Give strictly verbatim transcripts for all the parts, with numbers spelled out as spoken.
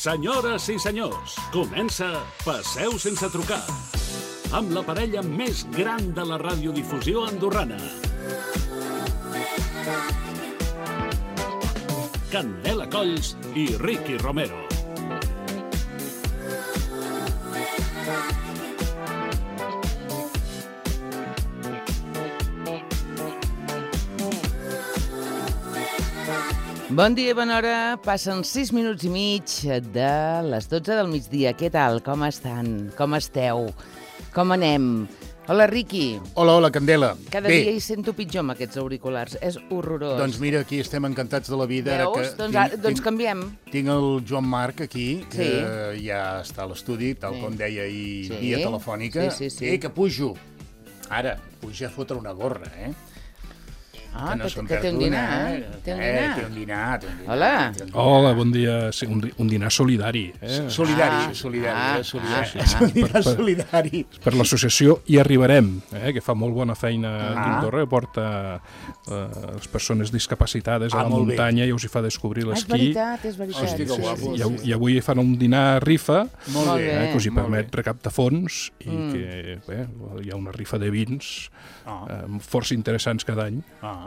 Senyores i senyors, comença Passeu sense trucar, amb la parella més gran de la radiodifusió andorrana. Candela Colls i Ricky Romero. Bon dia i bona hora. Passen sis minuts i mig de les dotze del migdia. Què tal? Com estan? Com esteu? Com anem? Hola, Riqui. Hola, hola, Candela. Cada Bé, dia hi sento pitjor amb aquests auriculars. És horrorós. doncs mira, aquí estem encantats de la vida. Veus? Que Doncs, tinc, ara, doncs tinc, canviem. tinc el Joan Marc aquí, que Sí. ja està a l'estudi, tal Sí. com deia ahir Sí. via telefònica. Sí, sí, sí. Eh, que pujo. Ara, puja a fotre una gorra, eh? Ah, que no que, se'n que perd té un una, dinar. eh? Té un Eh, dinar. té un dinar, té un dinar. Hola. té un dinar. Hola, bon dia. Sí, un, un dinar solidari. Eh? Solidari, Ah, solidari, ah, eh? solidari. ah, És un dinar Per- per- solidari. Per l'associació Hi Arribarem, eh? que fa molt bona feina aquí Ah. a Andorra, porta eh, les persones discapacitades a Ah, la molt bé. muntanya i us hi fa descobrir Ah, és l'esquí. veritat, és veritat. Hosti, que guapo. I, av- I avui fan un dinar rifa Molt Molt bé. bé. eh, que us hi molt permet bé. recaptar fons i Mm. que bé, hi ha una rifa de vins Ah, eh, força interessants cada any. ah.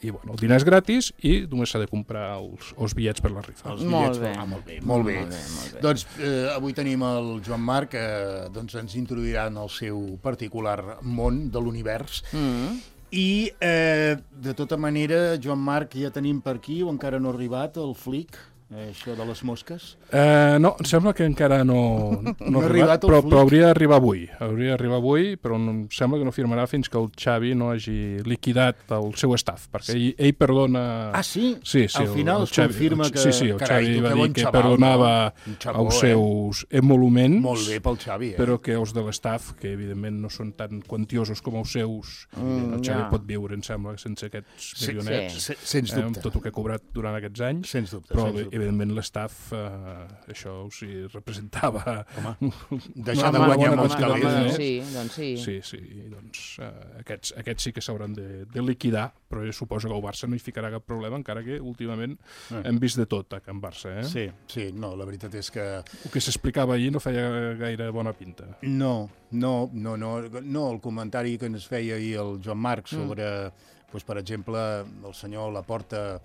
I bueno, el dinar és gratis i només s'ha de comprar els, els bitllets per la rifa. Els Molt bitllets, bé. Ah, molt bé, molt bé. Molt bé, molt bé. Doncs eh, avui tenim el Joan Marc, que eh, doncs ens introduirà en el seu particular món de l'univers. Mm. I, eh, de tota manera, Joan Marc, ja tenim per aquí, o encara no ha arribat, el flic, eh, això de les mosques? Uh, no, em sembla que encara no, no, No ha ha arribat arribat, el però, flic. però hauria d'arribar avui. Hauria d'arribar avui, però no, em sembla que no firmarà fins que el Xavi no hagi liquidat el seu staff, perquè ell, ell perdona... Ah, sí? Sí, sí, Al final el, es el Xavi, confirma que... Sí, sí, el Carai, Xavi tu, va que dir bon que xaval, perdonava no? Un xavó, els eh? seus emoluments, Molt bé pel Xavi, eh? però que els de l'estaff, que evidentment no són tan quantiosos com els seus, Mm, el Xavi ja. pot viure, em sembla, sense aquests Sí, milionets, Se- Sens eh, amb dubte. tot el que ha cobrat durant aquests anys. Sens dubte, Però, sens dubte. evidentment, l'estaff, eh, això o sigui, representava... Home, deixar de Home, guanyar bona molts quantitat, calés, eh? no? Sí, doncs sí. Sí, sí, i doncs eh, aquests, aquests sí que s'hauran de, de liquidar, però jo suposo que el Barça no hi ficarà cap problema, encara que últimament Eh. hem vist de tot a Can Barça. Eh? Sí, sí, no, la veritat és que... El que s'explicava ahir no feia gaire bona pinta. No, no, no, no, no, el comentari que ens feia ahir el Joan Marc sobre, mm. doncs, per exemple, el senyor Laporta,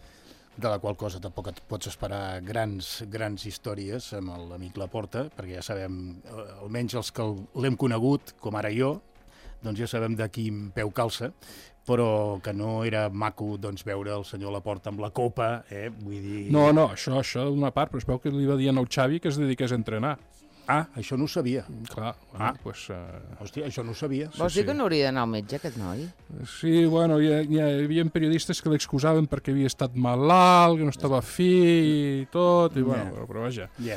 de la qual cosa tampoc et pots esperar grans, grans històries amb l'amic Laporta, perquè ja sabem, eh, almenys els que l'hem conegut, com ara jo, doncs ja sabem de quin peu calça, però que no era maco doncs, veure el senyor Laporta amb la copa, eh? Vull dir... No, no, això, això d'una part, però es veu que li va dir al Xavi que es dediqués a entrenar. Ah, això no ho sabia. Clar, bueno, Ah. doncs... Eh, Hòstia, això no ho sabia. Vols sí. dir que no hauria d'anar al metge, aquest noi? sí, bueno, hi, ha, hi havia periodistes que l'excusaven perquè havia estat malalt, que no estava fi i tot, i bueno, Ja. però, però vaja. Ja.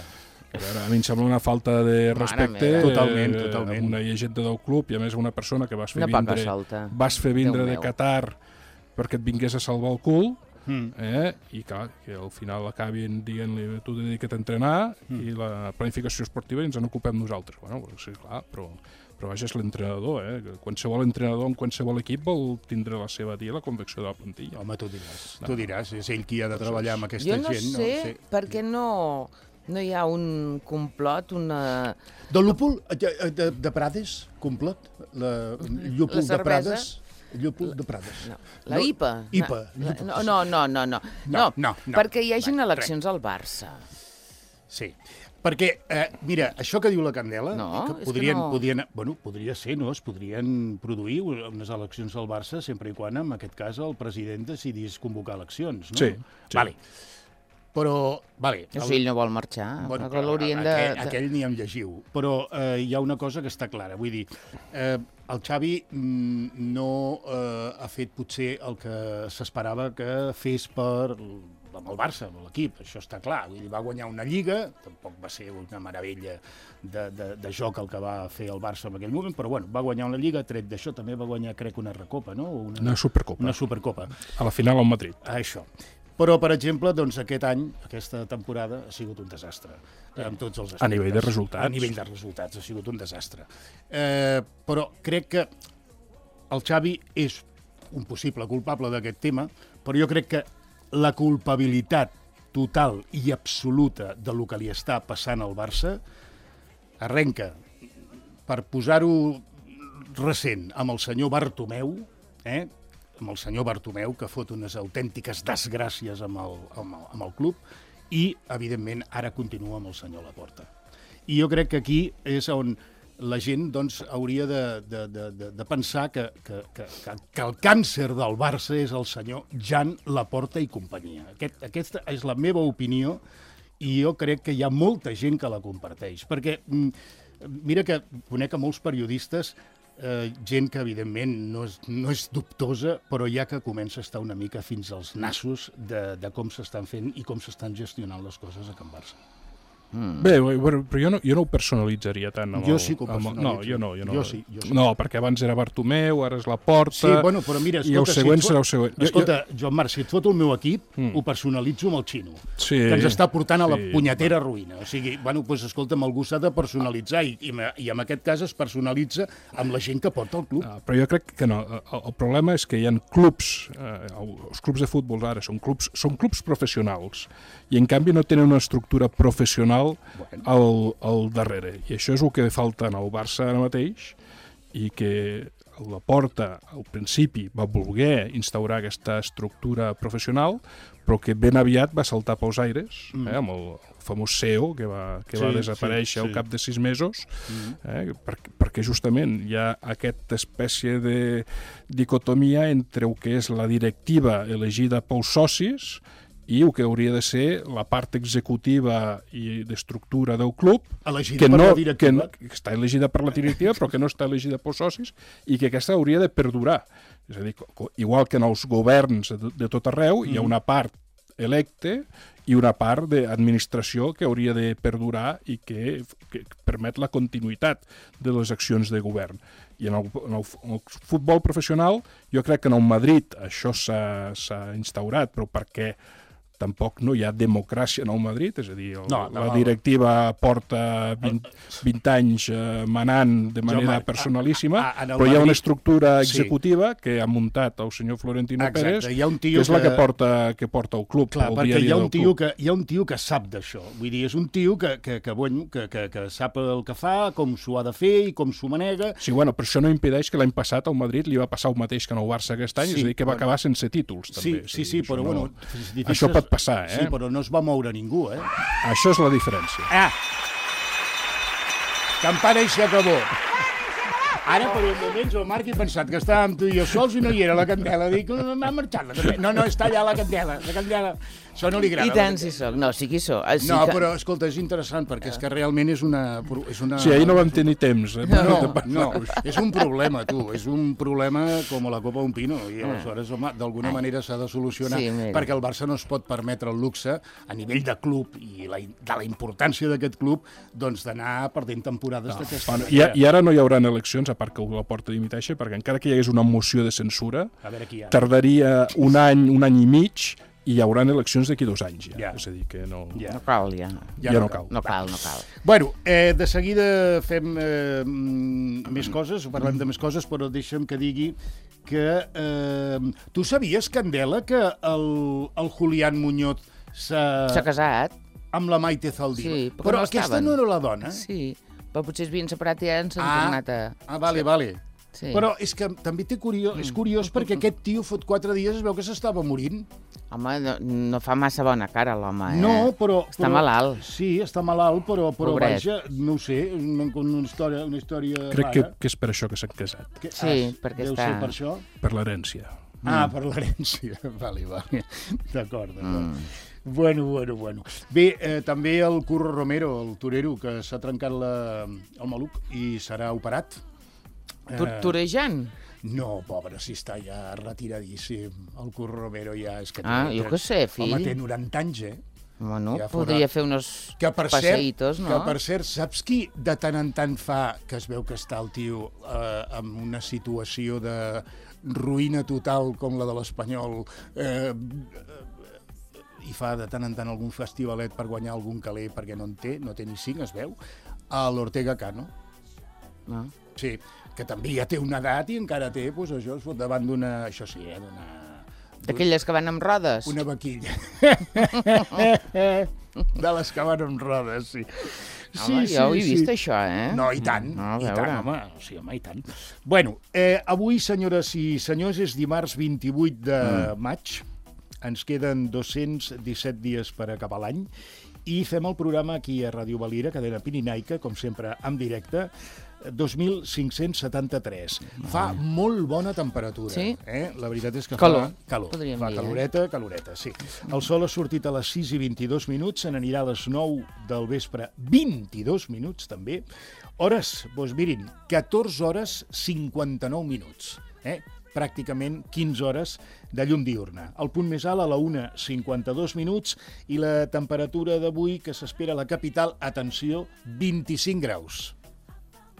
A veure, a mi em sembla una falta de respecte meva. Totalment, eh, totalment. amb una llegenda del club i a més una persona que vas fer Una poca vindre, solta. vas fer vindre Déu de meu. Qatar perquè et vingués a salvar el cul, Mm. eh? I clar, que al final acabin dient-li tu dedica't a entrenar Mm. i la planificació esportiva i ens en ocupem nosaltres. Bueno, sí, clar, però, però vaja, és l'entrenador, eh? Que qualsevol entrenador en qualsevol equip vol tindre la seva dia la convecció de la plantilla. Home, tu diràs, No. tu diràs, és ell qui ha de treballar amb aquesta Jo no gent. sé No? Sí. per què no, no hi ha un complot, una... De l'úpul de, de, de Prades, complot? La, llúpol La de cervesa. Prades? Llúpol de Prades. No, la No, I P A. I P A, No, llúpol. no, no, no, no, no. No, no, no. Perquè hi hagin Va, eleccions al Barça. Sí, perquè, eh, mira, això que diu la Candela, No, que és que podrien, no. podrien, bueno, podria ser, no? Es podrien produir unes eleccions al Barça sempre i quan, en aquest cas, el president decidís convocar eleccions, no? Sí, sí. Vale. Però, vale... O sigui, ell no vol marxar. Bueno, Bueno, l'haurien de... aquell, de- aquell ni em llegiu. Però eh, hi ha una cosa que està clara. Vull dir, eh, el Xavi mm, no eh, ha fet potser el que s'esperava que fes per amb el Barça, amb l'equip, això està clar. Vull dir, va guanyar una Lliga, tampoc va ser una meravella de, de, de joc el que va fer el Barça en aquell moment, però bueno, va guanyar una Lliga, tret d'això també va guanyar, crec, una Recopa, no? O Una Supercopa. Una Supercopa. A la final al Madrid. Això. Però, per exemple, doncs, aquest any, aquesta temporada, ha sigut un desastre, amb tots els aspectes. A nivell de resultats. A nivell de resultats, ha sigut un desastre. Eh, però crec que el Xavi és un possible culpable d'aquest tema, però jo crec que la culpabilitat total i absoluta de lo que li està passant al Barça, arrenca, per posar-ho recent, amb el senyor Bartomeu, eh? amb el senyor Bartomeu, que fot unes autèntiques desgràcies amb el, amb el, amb el club, i, evidentment, ara continua amb el senyor Laporta. I jo crec que aquí és on la gent doncs, hauria de, de, de, de pensar que, que, que, que el càncer del Barça és el senyor Jan Laporta i companyia. Aquest, aquesta és la meva opinió i jo crec que hi ha molta gent que la comparteix. Perquè mira que conec a molts periodistes, eh, gent que evidentment no és, no és dubtosa, però ja que comença a estar una mica fins als nassos de, de com s'estan fent i com s'estan gestionant les coses a Can Barça. Mm. Bé, però jo no, jo no ho personalitzaria tant. Amb jo el, sí que ho personalitzo. No, jo no. Jo, no. Jo sí, jo sí. No, perquè abans era Bartomeu, ara és Laporta... Sí, bueno, però mira, escolta, i el següent si serà el següent. Escolta, jo, Joan Marc, si et foto el meu equip, mm. ho personalitzo amb el xino, sí, que ens està portant a la sí, punyetera ruïna. O sigui, bueno, doncs escolta'm, algú s'ha de personalitzar i, i, i en aquest cas es personalitza amb la gent que porta el club. Ah, però jo crec que no. El, el problema és que hi ha clubs, eh, els clubs de futbol ara són clubs, són clubs professionals i en canvi no tenen una estructura professional bueno. al, al darrere. I això és el que falta en el Barça ara mateix i que Laporta al principi va voler instaurar aquesta estructura professional, però que ben aviat va saltar pels aires, mm. eh, amb el famós C E O que va, que sí, va desaparèixer sí, sí. al cap de sis mesos, mm. eh, perquè, perquè justament hi ha aquesta espècie de dicotomia entre el que és la directiva elegida pels socis i el que hauria de ser la part executiva i d'estructura del club, elegida que, per no, la directiva. que, que està elegida per la directiva, però que no està elegida pels socis, i que aquesta hauria de perdurar. És a dir, igual que en els governs de, de tot arreu, mm. hi ha una part electe i una part d'administració que hauria de perdurar i que, que permet la continuïtat de les accions de govern. I en el, en el, en el futbol professional, jo crec que en el Madrid això s'ha instaurat, però perquè tampoc no hi ha democràcia en el Madrid, és a dir, el, no, no, la directiva porta vint, vint anys eh, manant de manera jo, personalíssima, a, a, però Madrid, hi ha una estructura executiva sí. que ha muntat el senyor Florentino Exacte, Pérez, hi ha un tio que és que... la que porta, que porta el club. Clar, el perquè hi ha, un tio que, hi ha un tio que sap d'això, vull dir, és un tio que, que, que, bueno, que, que, que sap el que fa, com s'ho ha de fer i com s'ho manega. Sí, bueno, però això no impedeix que l'any passat al Madrid li va passar el mateix que en el Barça aquest any, sí, és a dir, que va bueno, acabar sense títols, també. Sí, sí, sí, però no, bueno... Això pot passar, eh? Sí, però no es va moure ningú, eh? Això és la diferència. Ah! Campana i s'acabó. Ara, per un moment, jo, Marc, he pensat que estàvem tu i jo sols i no hi era la candela. Dic, no, m'ha marxat la candela. No, no, està allà la candela. La candela... Això no li agrada. I tant si soc. No, sí que hi soc. Sí no, que... però, escolta, és interessant, perquè és que realment és una... És una... Sí, ahir no vam tenir temps. Eh? No, no, és un problema, tu. És un problema com la copa d'un pino. I aleshores, home, d'alguna manera s'ha de solucionar, sí, perquè el Barça no es pot permetre el luxe, a nivell de club i la, de la importància d'aquest club, doncs d'anar perdent temporades no, d'aquesta bueno, manera. I, I ara no hi haurà eleccions, a part que la porta dimiteixi, perquè encara que hi hagués una moció de censura, tardaria un any, un any i mig, i hi haurà eleccions d'aquí dos anys, ja. ja. És a dir, que no... Ja. No cal, ja. Ja, ja no cal. No cal, no cal. Bueno, eh, de seguida fem eh, més coses, parlem de més coses, però deixa'm que digui que... Eh, tu sabies, Candela, que el, el Julián Muñoz s'ha... S'ha casat. Amb la Maite Zaldívar. Sí, però, però no aquesta estaven. No era la dona? Sí, però potser es havien separat i ja ens han ah, tornat a... Ah, vale, vale. Sí. Però és que també té curiós, és curiós perquè aquest tio fot quatre dies es veu que s'estava morint. Home, no, no fa massa bona cara l'home, eh? No, però... Està però, malalt. Sí, està malalt, però, però vaja, no ho sé, una, una història, una història Crec que, que és per això que s'han casat. Que, sí, ah, perquè deu està... ser per això? Per l'herència. Ah, mm. per l'herència. Vale, vale. D'acord, d'acord. Mm. Bueno, bueno, bueno. Bé, eh, també el Curro Romero, el torero, que s'ha trencat la, el maluc i serà operat. Torejant? No, pobre, si està ja retiradíssim. El Curro Romero ja és que... Ah, jo què sé, fill. Home, té noranta anys, eh? Bueno, ja podria fer unos que per passeitos, cert, no? Que, per cert, saps qui de tant en tant fa que es veu que està el tio eh, en una situació de ruïna total com la de l'Espanyol eh, i fa de tant en tant algun festivalet per guanyar algun caler perquè no en té, no té ni cinc, es veu, a l'Ortega Cano. Ah. Sí, que també ja té una edat i encara té, doncs això, es fot davant d'una, això sí, eh, d'una D'aquelles que van amb rodes? Una vaquilla. De les que van amb rodes, sí. Home, sí, jo ho he sí, vist, sí. això, eh? No, i tant, No, a i veure. tant, home. Sí, home, i tant. Bueno, eh, avui, senyores i senyors, és dimarts vint-i-vuit de maig. Ens queden dos-cents disset dies per acabar l'any i fem el programa aquí a Ràdio Valira, cadena pirinaica, com sempre, en directe, dos mil cinc-cents setanta-tres. Fa molt bona temperatura. Sí? Eh? La veritat és que Calor, fa calor. podríem Fa dir, eh? caloreta, caloreta, sí. El sol ha sortit a les sis i vint-i-dos minuts, se n'anirà a les nou del vespre, vint-i-dos minuts també. Hores, doncs mirin, catorze hores cinquanta-nou minuts. Eh? Pràcticament quinze hores de llum diurna. El punt més alt a la una cinquanta-dos minuts i la temperatura d'avui que s'espera a la capital, atenció, vint-i-cinc graus.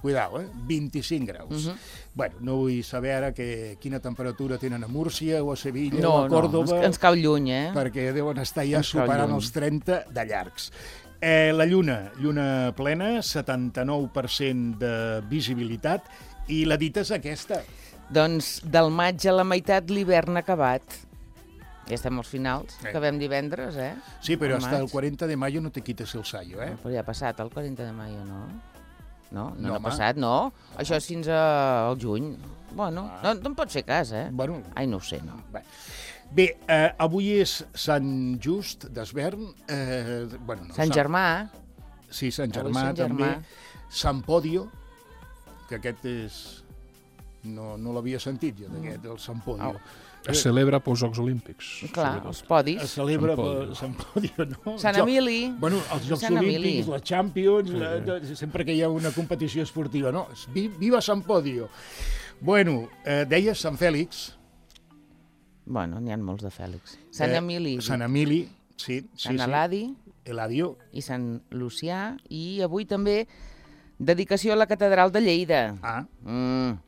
Cuidao, eh? vint-i-cinc graus. Uh -huh. Bueno, no vull saber ara que, quina temperatura tenen a Múrcia o a Sevilla No, o a Còrdoba, no, ens, ens cau lluny, eh? perquè deuen estar ja Ens cau superant lluny. els trenta de llargs. Eh, la lluna, lluna plena, setanta-nou per cent de visibilitat, i la dita és aquesta. Doncs del maig a la meitat l'hivern ha acabat. Ja estem als finals, Eh. acabem divendres, eh? Sí, però Al hasta el maig. cuarenta de mayo no te quites el sayo, eh? Però ja ha passat el quaranta de maio, no? No, no, No, no ha home. passat, no. Això és fins a- al juny. Bueno, Ah. no, no em pots fer cas, eh? Bueno, Ai, no ho sé, no. bé. Bé, eh, avui és Sant Just d'Esvern. Eh, bueno, no, Sant Germà, Sí, Sant Avui Germà Sant també. Germà. Sant Podio, que aquest és... No, no l'havia sentit jo, d'aquest, el Sant Podio. Au. Es celebra pels Jocs Olímpics. clar, sobretot. els podis. Es celebra Sant per Podio. Sant Podio, no? Sant Jo- Emili. Bueno, els Jocs Sant Emili. Olímpics, la Champions, la, de- sempre que hi ha una competició esportiva, no? Vi- Viva Sant Podio! Bueno, eh, deies Sant Fèlix. Bueno, n'hi ha molts de Fèlix. Sant eh, Emili, Sant Emili, sí, sí, Sant sí. Eladi Eladio. i Sant Lucià. I avui també dedicació a la catedral de Lleida. Ah, Mm,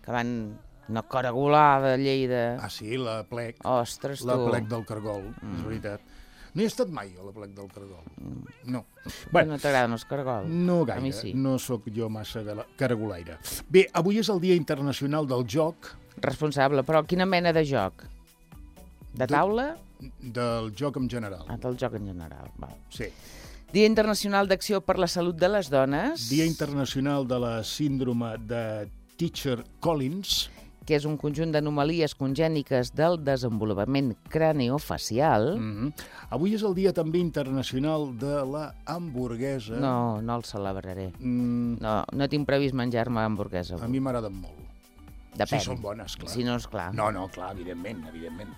que van una coragolada a Lleida. ah, sí, la plec. Ostres, tu. La plec del Cargol, Mm. és veritat. No hi he estat mai, a la plec del Cargol. No. Bueno, Bueno, no t'agraden els cargols? no A mi gaire, sí. no sóc jo massa gala- caragolaire. Bé, avui és el Dia Internacional del Joc, Responsable, però quina mena de joc? De De- taula? del joc en general. Ah, del joc en general. Val. Sí. Dia Internacional d'Acció per la Salut de les Dones, Dia Internacional de la Síndrome de Teacher-Collins. que és un conjunt d'anomalies congèniques del desenvolupament craneofacial. Mm -hmm. Avui és el Dia també internacional de la hamburguesa. No, no el celebraré. Mm, No, no tinc previst menjar-me hamburguesa. a avui. mi m'agraden molt. Depèn. Si són bones, clar. Si no, és clar. No, no, clar, evidentment, evidentment.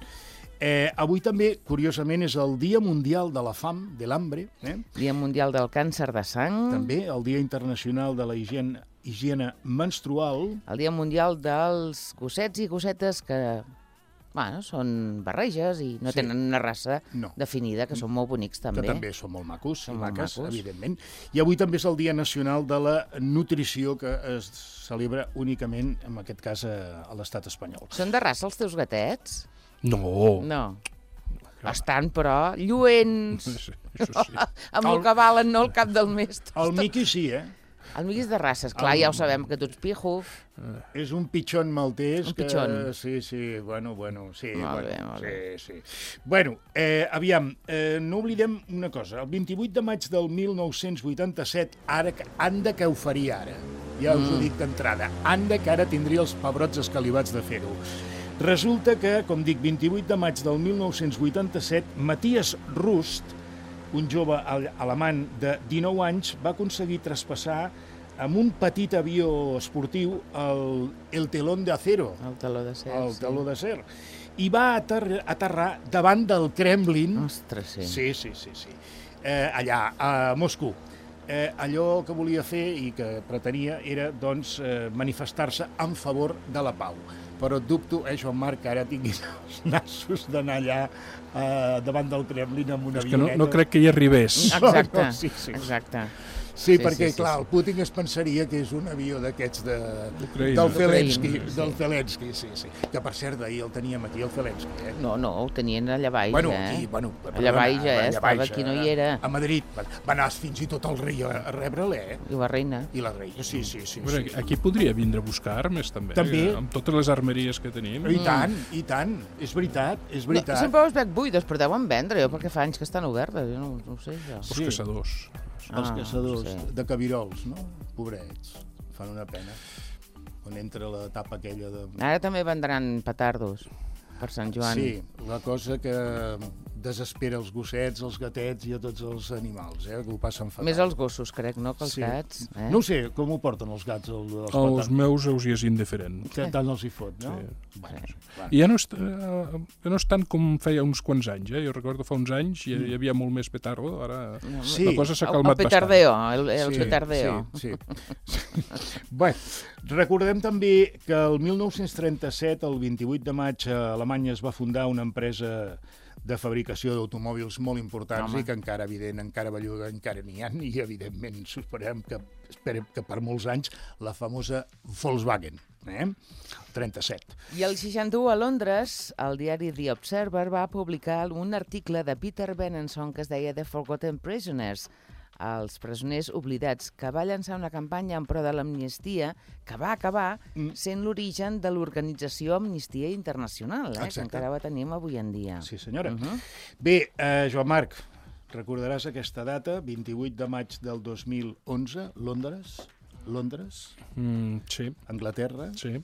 Eh, avui també, curiosament, és el Dia Mundial de la Fam, de l'Hambre, eh? Dia Mundial del Càncer de Sang. També el Dia Internacional de la Higiene, higiene Menstrual. El Dia Mundial dels gossets i gossetes que, bueno, són barreges i no Sí. tenen una raça No. definida, que són molt bonics també. Que també són molt macos, Són i molt maques, macos. evidentment. I avui també és el Dia Nacional de la Nutrició, que es celebra únicament, en aquest cas, a, a l'estat espanyol. Són de raça els teus gatets? No. No. Estan, però, lluents, Sí, això sí. amb el que valen, no al cap del mes. El Miqui sí, eh? El Miqui és de races, clar, El- ja ho sabem, que tu ets pijo. És un pitxon maltès. Un que... pitxon. Sí, sí, bueno, bueno, sí. Molt bueno, bé, molt sí, bé. sí. Bueno, eh, aviam, eh, no oblidem una cosa. El vint-i-vuit de maig del mil nou-cents vuitanta-set, ara, que- anda que ho faria ara. Ja us Mm. ho dic d'entrada. Anda que ara tindria els pebrots escalivats de fer-ho. Resulta que, com dic, vint-i-vuit de maig del mil nou-cents vuitanta-set, Matthias Rust, un jove ale- alemany de dinou anys, va aconseguir traspassar amb un petit avió esportiu el, el telón de acero, El taló de ser. el taló d'acer, i va aterrar, aterrar davant del Kremlin, Ostres, sí. sí, sí, sí, sí. Eh, allà, a Moscou. Eh, allò que volia fer i que pretenia era, doncs, eh, manifestar-se en favor de la pau. Però dubto, eh, Joan Marc, que ara tinguis els nassos d'anar allà eh, davant del Kremlin amb una És que no, avioneta. no crec que hi arribés. Exacte, No, no, sí, sí. exacte. Sí, sí, perquè, sí, sí, clar, sí. el Putin es pensaria que és un avió d'aquests de, del Zelensky, sí. del Zelensky, sí, sí. Que, per cert, d'ahir el teníem aquí, el Zelensky, eh? No, no, ho tenien allà baix, bueno, eh? Aquí, bueno, perdona, allà baix, eh? Allà Estava baix, aquí, no hi era. A Madrid. Va anar fins i tot el rei a, a rebre'l, eh? I la reina. I la reina, sí, sí, sí. Bueno, sí, sí. Aquí podria vindre a buscar armes, també. També. Amb totes les armeries que tenim. I tant, i tant. És veritat, és veritat. No, sempre us veig buides, però deuen vendre, jo, perquè fa anys que estan obertes, jo no, no ho sé, jo. Els caçadors. Els Ah, caçadors sí. de cabirols, no? Pobrets, fan una pena. On entra la tapa aquella de... Ara també vendran petardos per Sant Joan. Sí, la cosa que desespera els gossets, els gatets i a tots els animals, eh? Que ho passen fatal. Més els gossos, crec, no?, que els Sí. gats. Eh? No ho sé, com ho porten els gats? El, els Els els meus els hi és indiferent. Tant els hi fot, no? Sí. Bueno, Sí. bueno. I ja no és, eh, ja no és tant com feia uns quants anys, eh? Jo recordo fa uns anys hi, hi havia molt més petardo, ara Sí. la cosa s'ha El, calmat el petardeo, el, el Sí, petardeo. Sí, sí. Bé, recordem també que el mil nou-cents trenta-set, el vint-i-vuit de maig, a Alemanya es va fundar una empresa de fabricació d'automòbils molt importants. Home. I que encara, evident, encara belluga, encara n'hi ha, i evidentment esperem que, esperem que per molts anys la famosa Volkswagen, eh? trenta-set. I el seixanta-u a Londres, el diari The Observer va publicar un article de Peter Benenson que es deia The Forgotten Prisoners, els presoners oblidats, que va llançar una campanya en pro de l'amnistia que va acabar Mm. sent l'origen de l'organització Amnistia Internacional, eh, que Exacte. encara la tenim avui en dia. Sí, senyora. Uh -huh. Bé, eh, Joan Marc, recordaràs aquesta data, vint-i-vuit de maig del dos mil onze, Londres, Londres, Mm, sí, Anglaterra, sí.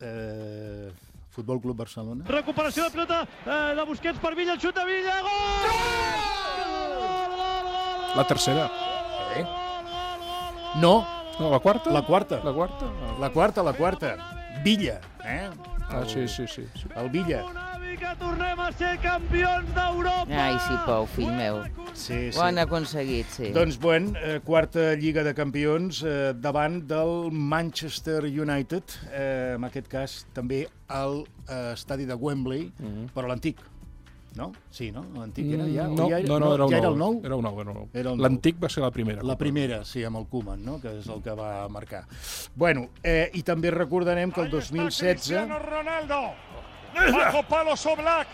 eh, Futbol Club Barcelona. Recuperació de pilota eh, de Busquets per Villa, el xut de Villa, gol! La tercera. Eh? No, No, la quarta? la quarta. La quarta? La quarta, la quarta. Villa, eh? Ah, sí, sí, sí. sí. El Villa. Avi, que tornem a ser campions d'Europa! Ai, sí, Pau, fill meu. Sí, sí. Ho han aconseguit, sí. Doncs, bueno, eh, quarta Lliga de Campions eh, davant del Manchester United, eh, en aquest cas també al eh, estadi de Wembley, Mhm. però l'antic, no? Sí, no? L'antic era ja? Mm, no, o ja, no, no, era, ja el era el nou. nou? Era el nou, era el nou. Era el nou. L'antic va ser la primera. La primera, sí, amb el Koeman, no? Que és el que va marcar. Bueno, eh, i també recordarem que el dos mil setze... Cristiano Ronaldo, bajo palo Oblak,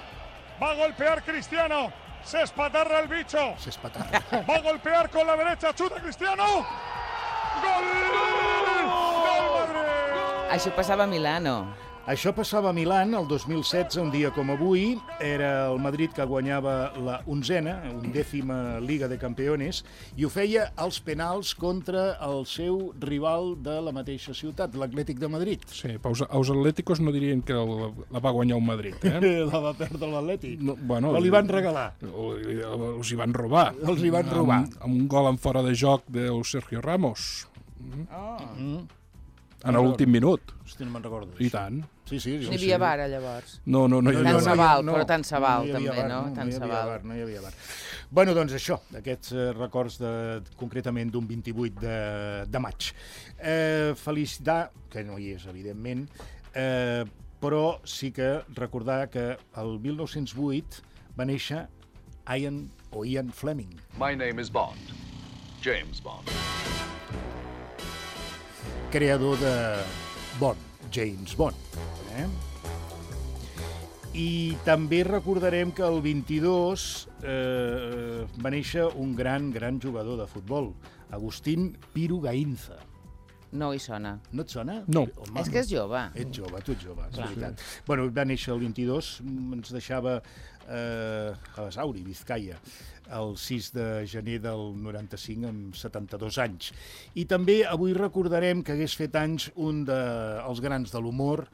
va a golpear Cristiano, se espatarra el bicho, S'espatarra. va a golpear con la derecha, chuta Cristiano, gol, gol Madrid. Això passava a Milano. Això passava a Milan el dos mil setze, un dia com avui. Era el Madrid que guanyava la onzena, undècima Liga de Campeones, i ho feia als penals contra el seu rival de la mateixa ciutat, l'Atlètic de Madrid. Sí, però els, els atléticos no dirien que la, la va guanyar un Madrid, eh? La va perdre l'Atlètic. No, bueno, O li van regalar. O, els hi van robar. Els hi van robar. Amb, amb un gol en fora de joc del Sergio Ramos, Ah. Mm. en l'últim minut. Hosti, no me'n recordo. I tant. Sí, sí. N'hi havia bar, llavors. No, no, no hi Tant havia se bar. val, però tant se val, hi havia també, bar, no? No, Tant no hi se havia val. bar, no hi havia bar. Bueno, doncs això, aquests eh, records de, concretament d'un vint-i-vuit de, de maig. Eh, felicitar, que no hi és, evidentment, eh, però sí que recordar que el mil nou-cents vuit va néixer Ian o Ian Fleming. My name is Bond. James Bond. Creador de Bond, James Bond. Eh? I també recordarem que el vint-i-dos eh, va néixer un gran, gran jugador de futbol, Agustín Piru Gainza. No hi sona. No et sona? No. Home, És que és jove. Ets jove, tu ets jove, és Clar. veritat. Bueno, va néixer el vint-i-dos, ens deixava eh, a Basauri, Vizcaya, el sis de gener del noranta-cinc, amb setanta-dos anys. I també avui recordarem que hagués fet anys un dels grans de l'humor,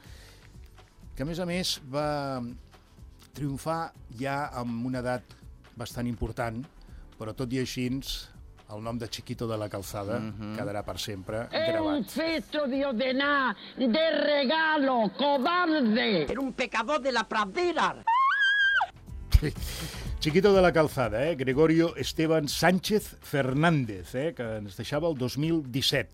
que a més a més va triomfar ja amb una edat bastant important, però tot i així el nom de Chiquito de la Calzada Mhm. quedarà per sempre È un gravat. feto di Odená, de regalo, cobarde. Era un pecador de la pradera. Chiquito de la Calzada, eh? Gregorio Esteban Sánchez Fernández, eh? Que ens deixava el dos mil disset.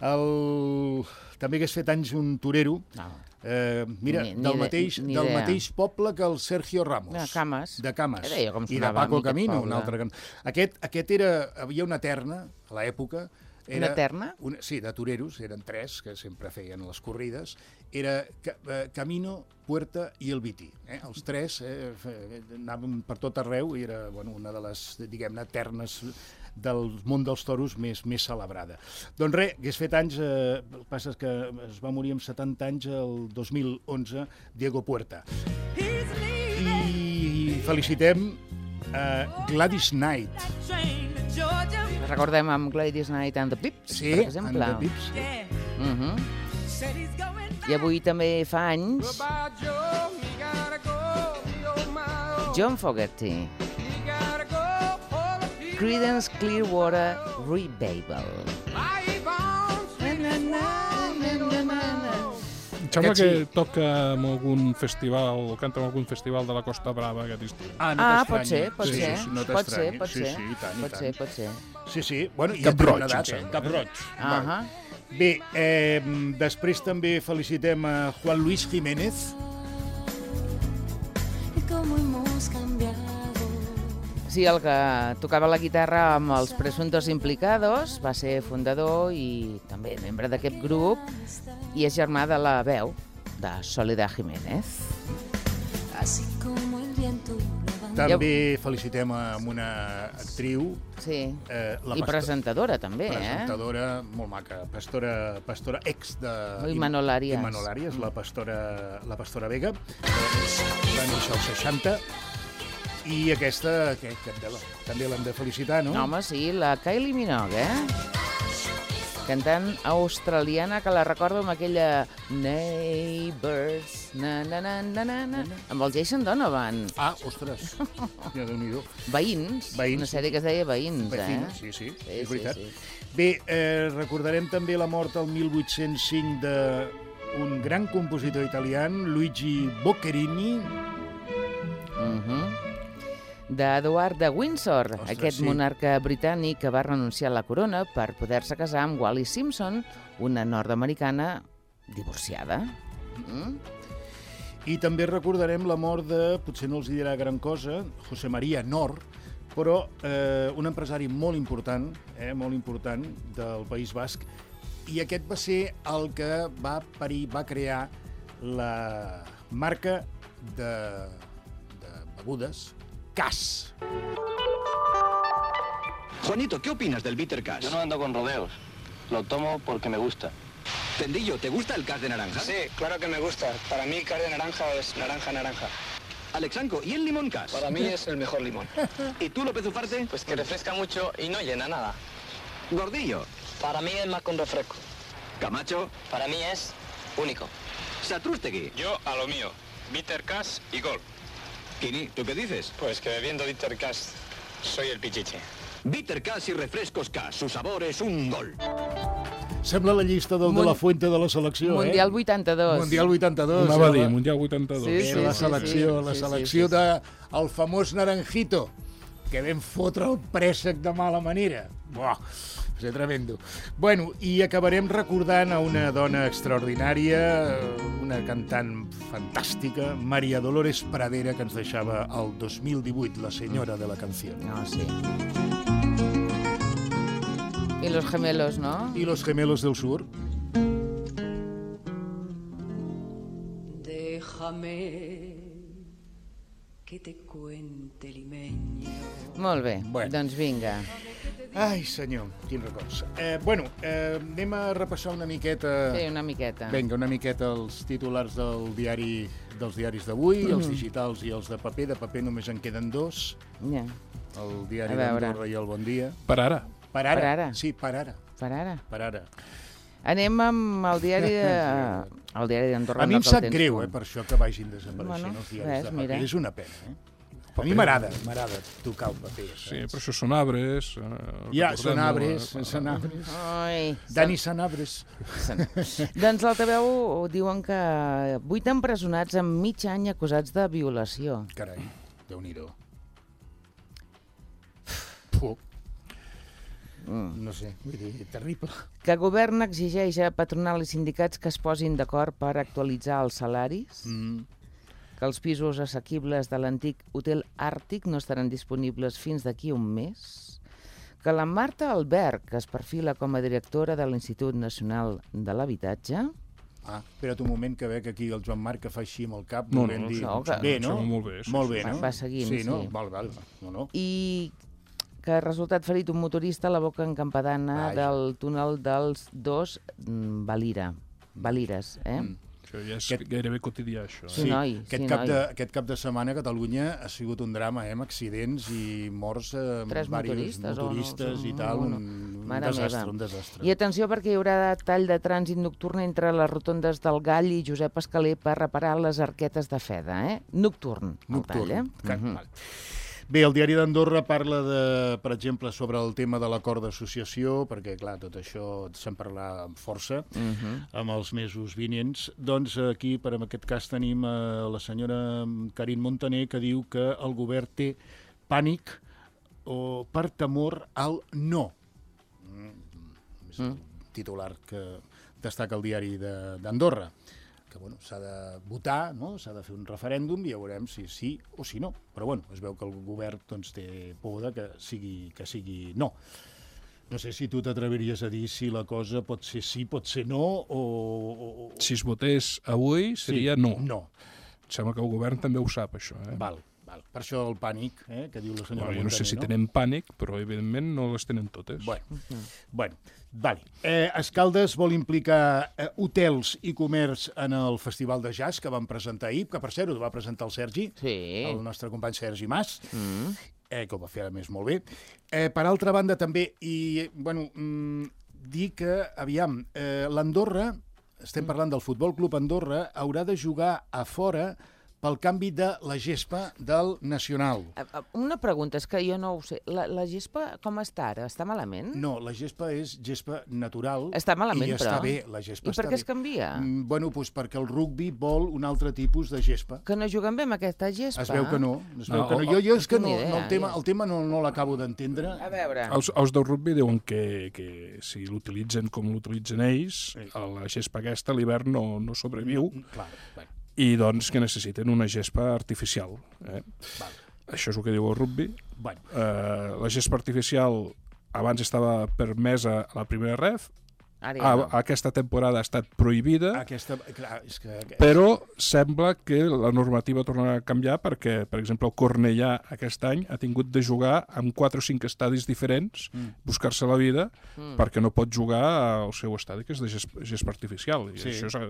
El... També hagués fet anys un torero, No. Eh, mira, Ni- ni del, de- mateix, ni del idea. mateix poble que el Sergio Ramos. De Cames. De Cames. Era jo com I de sonava a Paco mi aquest Camino, un poble. altre. can- Aquest, aquest era... Havia una terna, a l'època. Era Una terna? Una, sí, de toreros, eren tres, que sempre feien les corrides. Era ca, eh, Camino, Puerta i el Vití. Eh? Els tres eh, fe- anaven per tot arreu i era bueno, una de les, diguem-ne, ternes del món dels toros més, més celebrada. Doncs res, hagués fet anys, eh, el que passa és que es va morir amb setanta anys el dos mil onze, Diego Puerta. I felicitem eh, Gladys Knight. Recordem amb Gladys Knight and the Pips, Sí, per exemple. and the Pips. Uh -huh. I avui també fa anys John Fogerty. Creedence Clearwater Revival. Em sembla Aquest que sí. toca en algun festival, o canta en algun festival de la Costa Brava aquest estiu. Ah, no Ah, pot t'estranyi. ser, pot sí, ser. Sí, sí, no pot ser, t'estranyi. pot sí, ser. Sí, i tant, i pot tant. ser, pot ser. Sí, sí. Bueno, ja Cap té roig, una em data, sembla, eh? Cap eh? roig. Ahà. Val. Bé, eh, després també felicitem a Juan Luis Jiménez. Sí, el que tocava la guitarra amb els presuntos implicados, va ser fundador i també membre d'aquest grup i és germà de la veu de Soledad Jiménez. També felicitem a una actriu. Sí, eh, la i pastor- presentadora també, eh? Presentadora, molt maca, pastora, pastora ex de... Imanol Arias. Imanol Arias, la pastora, la pastora Vega, va néixer als seixanta, i aquesta, què, què, també l'hem de felicitar, no? No, home, sí, la Kylie Minogue, eh? Cantant australiana que la recordo amb aquella Neighbors, na, na, na, na, na, na, amb el Jason Donovan. Ah, ostres, ja Déu-n'hi-do. Veïns, Veïns, una sèrie que es deia Veïns, Vecino, eh? sí, sí, Sí, és sí, veritat. sí. Bé, eh, recordarem també la mort el mil vuit-cents cinc d'un gran compositor italià, Luigi Boccherini. Uh-huh. D'Eduard de Windsor, Ostres, aquest sí. monarca britànic que va renunciar a la corona per poder-se casar amb Wallis Simpson, una nord-americana divorciada. Mm? I també recordarem la mort de, potser no els hi dirà gran cosa, José María Nor, però eh, un empresari molt important, eh, molt important del País Basc, i aquest va ser el que va parir, va crear la marca de, de begudes Cass. Juanito, ¿qué opinas del bitter cash? Yo no ando con rodeos. Lo tomo porque me gusta. Tendillo, ¿te gusta el cash de naranja? Sí, claro que me gusta. Para mí, cash de naranja es naranja, naranja. Alexanco, ¿y el limón cash? Para mí es el mejor limón. ¿Y tú, López Ufarte? Pues que refresca mucho y no llena nada. Gordillo. Para mí es más con refresco. Camacho. Para mí es único. Satrústegui. Yo a lo mío. Bitter cash y gol. Kini, ¿tú qué dices? Pues que bebiendo bitter cash soy el pichiche. Bitter cash y refrescos cash. Su sabor es un gol. Sembla la llista del de la Fuente de la selecció, Mundial eh? vuitanta-dos. Mundial vuitanta-dos. Anava a Era dir, la- Mundial vuitanta-dos. Sí, sí, Era la sí, selecció, sí. la Sí, sí, selecció sí, sí. de el famós Naranjito, que vam fotre el préssec de mala manera. Buah, va ser tremendo. Bueno, i acabarem recordant a una dona extraordinària, una cantant fantàstica, María Dolores Pradera, que ens deixava el dos mil divuit, la senyora de la canció. No, sí. I los gemelos, ¿no? I los gemelos del sur. Déjame que te cuente limeño. Molt bé, Bueno. doncs vinga. Ai, senyor, quin records. Eh, bueno, eh, anem a repassar una miqueta... Sí, una miqueta. Vinga, una miqueta els titulars del diari, dels diaris d'avui, Mm. els digitals i els de paper. De paper només en queden dos. Ja. El diari A veure. d'Andorra i el Bon Dia. Per ara. Per ara. Per ara. Sí, per ara. Per ara. Per ara. Anem amb el diari de... el diari d'Andorra. A mi no em que el sap tens greu, tu. eh, per això que vagin desapareixent Bueno, els diaris res, de paper. mira. És una pena, eh? A mi m'agrada, m'agrada tocar el paper. Sí, però això són arbres. Eh, Ja, recordem-ho, són arbres, eh, són arbres. Ai, Dani Sanabres. doncs l'altaveu diuen que vuit empresonats en mig any acusats de violació. Carai, Déu-n'hi-do. Mm. No sé, vull dir, terrible. Que el govern exigeix a patronal i sindicats que es posin d'acord per actualitzar els salaris. Mm. Que els pisos assequibles de l'antic Hotel Àrtic no estaran disponibles fins d'aquí un mes. Que la Marta Albert, que es perfila com a directora de l'Institut Nacional de l'Habitatge... Ah, espera't un moment que veig aquí el Joan Marc que fa així amb el cap. No, no, dir... no, que... Bé, no? Molt bé, sí, molt sí, bé, no? Va seguint, sí. No? sí. Val, val. No, no. I que ha resultat ferit un motorista a la boca encampadana Vaja. del túnel dels dos mm, Valira. Valires, eh? Mm. Això ja és Aquest- gairebé quotidià, això. Sí, Eh? noi, aquest, sí, cap noi. de, aquest cap de setmana a Catalunya ha sigut un drama, eh, amb accidents i morts, eh, Tres diversos motoristes, o no? motoristes Sí, i tal, no, no. un, un Mare desastre, meva. un desastre. I atenció perquè hi haurà tall de trànsit nocturn entre les rotondes del Gall i Josep Escaler per reparar les arquetes de Feda, eh? Nocturn, el Nocturn. tall, eh? Ca- Mhm. val. Bé, el diari d'Andorra parla, de, per exemple, sobre el tema de l'acord d'associació, perquè, clar, tot això se'n parlarà amb força Mhm. amb els mesos vinents. Doncs aquí, per en aquest cas, tenim eh, la senyora Karin Montaner, que diu que el govern té pànic o per temor al no. Mm. És el titular que destaca el diari de- d'Andorra. Que bueno, s'ha de votar, no? S'ha de fer un referèndum i ja veurem si sí o si no. Però bueno, es veu que el govern doncs, té por de que sigui, que sigui no. No sé si tu t'atreviries a dir si la cosa pot ser sí, pot ser no, o... o... Si es votés avui, seria no. No. Em sembla que el govern també ho sap, això. Eh? Val, val. Per això el pànic, eh, que diu la senyora Bueno, jo no sé Montaner, si tenen pànic, però evidentment no les tenen totes. Bueno, bueno vale. Eh, Escaldes vol implicar eh, hotels i comerç en el Festival de Jazz que van presentar ahir, que per cert ho va presentar el Sergi, Sí. el nostre company Sergi Mas, Mm. eh, que ho va fer a més molt bé. Eh, per altra banda també, i bueno, mm, dir que, aviam, eh, l'Andorra, estem parlant del Futbol Club Andorra, haurà de jugar a fora pel canvi de la gespa del Nacional. Eh, eh, Una pregunta, és que jo no ho sé. La, la gespa com està ara? Està malament? No, la gespa és gespa natural. Està malament, i està però. bé, la gespa I per està què es bé. canvia? Mm, bueno, doncs perquè el rugbi vol un altre tipus de gespa. Que no juguen bé amb aquesta gespa? Es veu que no. Es veu No, que no. o- Jo, jo és que no no, tinc idea, no, el tema, jo. el tema no, no l'acabo d'entendre. A veure... Els, els del rugby diuen que, que si l'utilitzen com l'utilitzen ells, Sí. a la gespa aquesta a l'hivern no, no sobreviu, Clar, bueno, i doncs que necessiten una gespa artificial. Eh? val. Això és el que diu el rugby. Bueno, Eh, la gespa artificial abans estava permesa a la primera ref, Ara ja a, no. aquesta temporada ha estat prohibida, aquesta... Clar, és que... però sembla que la normativa tornarà a canviar perquè, per exemple, el Cornellà aquest any ha tingut de jugar amb quatre o cinc estadis diferents, Mm. buscar-se la vida, Mm. perquè no pot jugar al seu estadi, que és de gespa, gespa artificial. I Sí. això és a,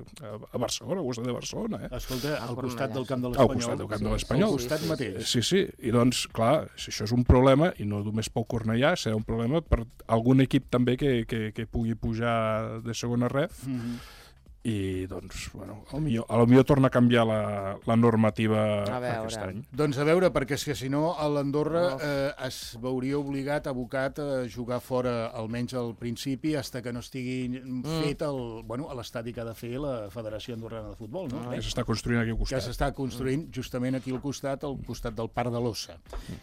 a Barcelona, al costat de Barcelona. Eh? Escolta, Al al costat Cornellà, del camp de Al l'Espanyol. costat del camp de Sí, l'Espanyol. Al costat sí, sí, mateix. Sí, sí, i doncs, clar, si això és un problema, i no només pel Cornellà, serà un problema per algun equip també que, que, que pugui pujar de segona ref, Mhm. i doncs, bueno, a lo millor, a lo millor torna a canviar la, la normativa A veure. aquest any. Doncs a veure, perquè és que si no, a l'Andorra Oh. eh, es veuria obligat, abocat, a jugar fora, almenys al principi, hasta que no estigui Mm. fet el, bueno, a l'estadi que ha de fer la Federació Andorrana de Futbol, no? Que s'està construint aquí al que costat. s'està construint justament aquí al costat, al costat del Parc de l'Ossa.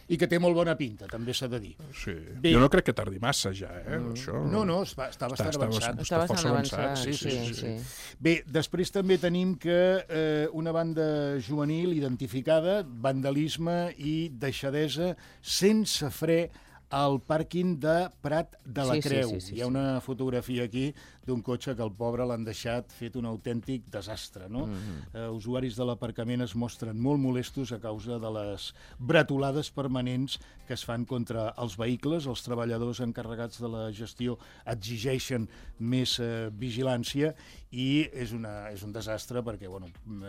I que té molt bona pinta, també s'ha de dir. Sí. Bé. Jo no crec que tardi massa ja, eh? Això... No, no, està, està bastant està avançat. bastant- Està bastant força avançat, avançat, sí, sí, sí. sí, sí. Bé, després també tenim que eh, una banda juvenil identificada, vandalisme i deixadesa sense fre al pàrquing de Prat de la Sí, sí, Creu. sí, sí, Hi ha sí. una fotografia aquí d'un cotxe que el pobre l'han deixat fet un autèntic desastre. No? Mhm. eh, usuaris de l'aparcament es mostren molt molestos a causa de les bretolades permanents que es fan contra els vehicles. Els treballadors encarregats de la gestió exigeixen més eh, vigilància i és, una, és un desastre perquè, bueno,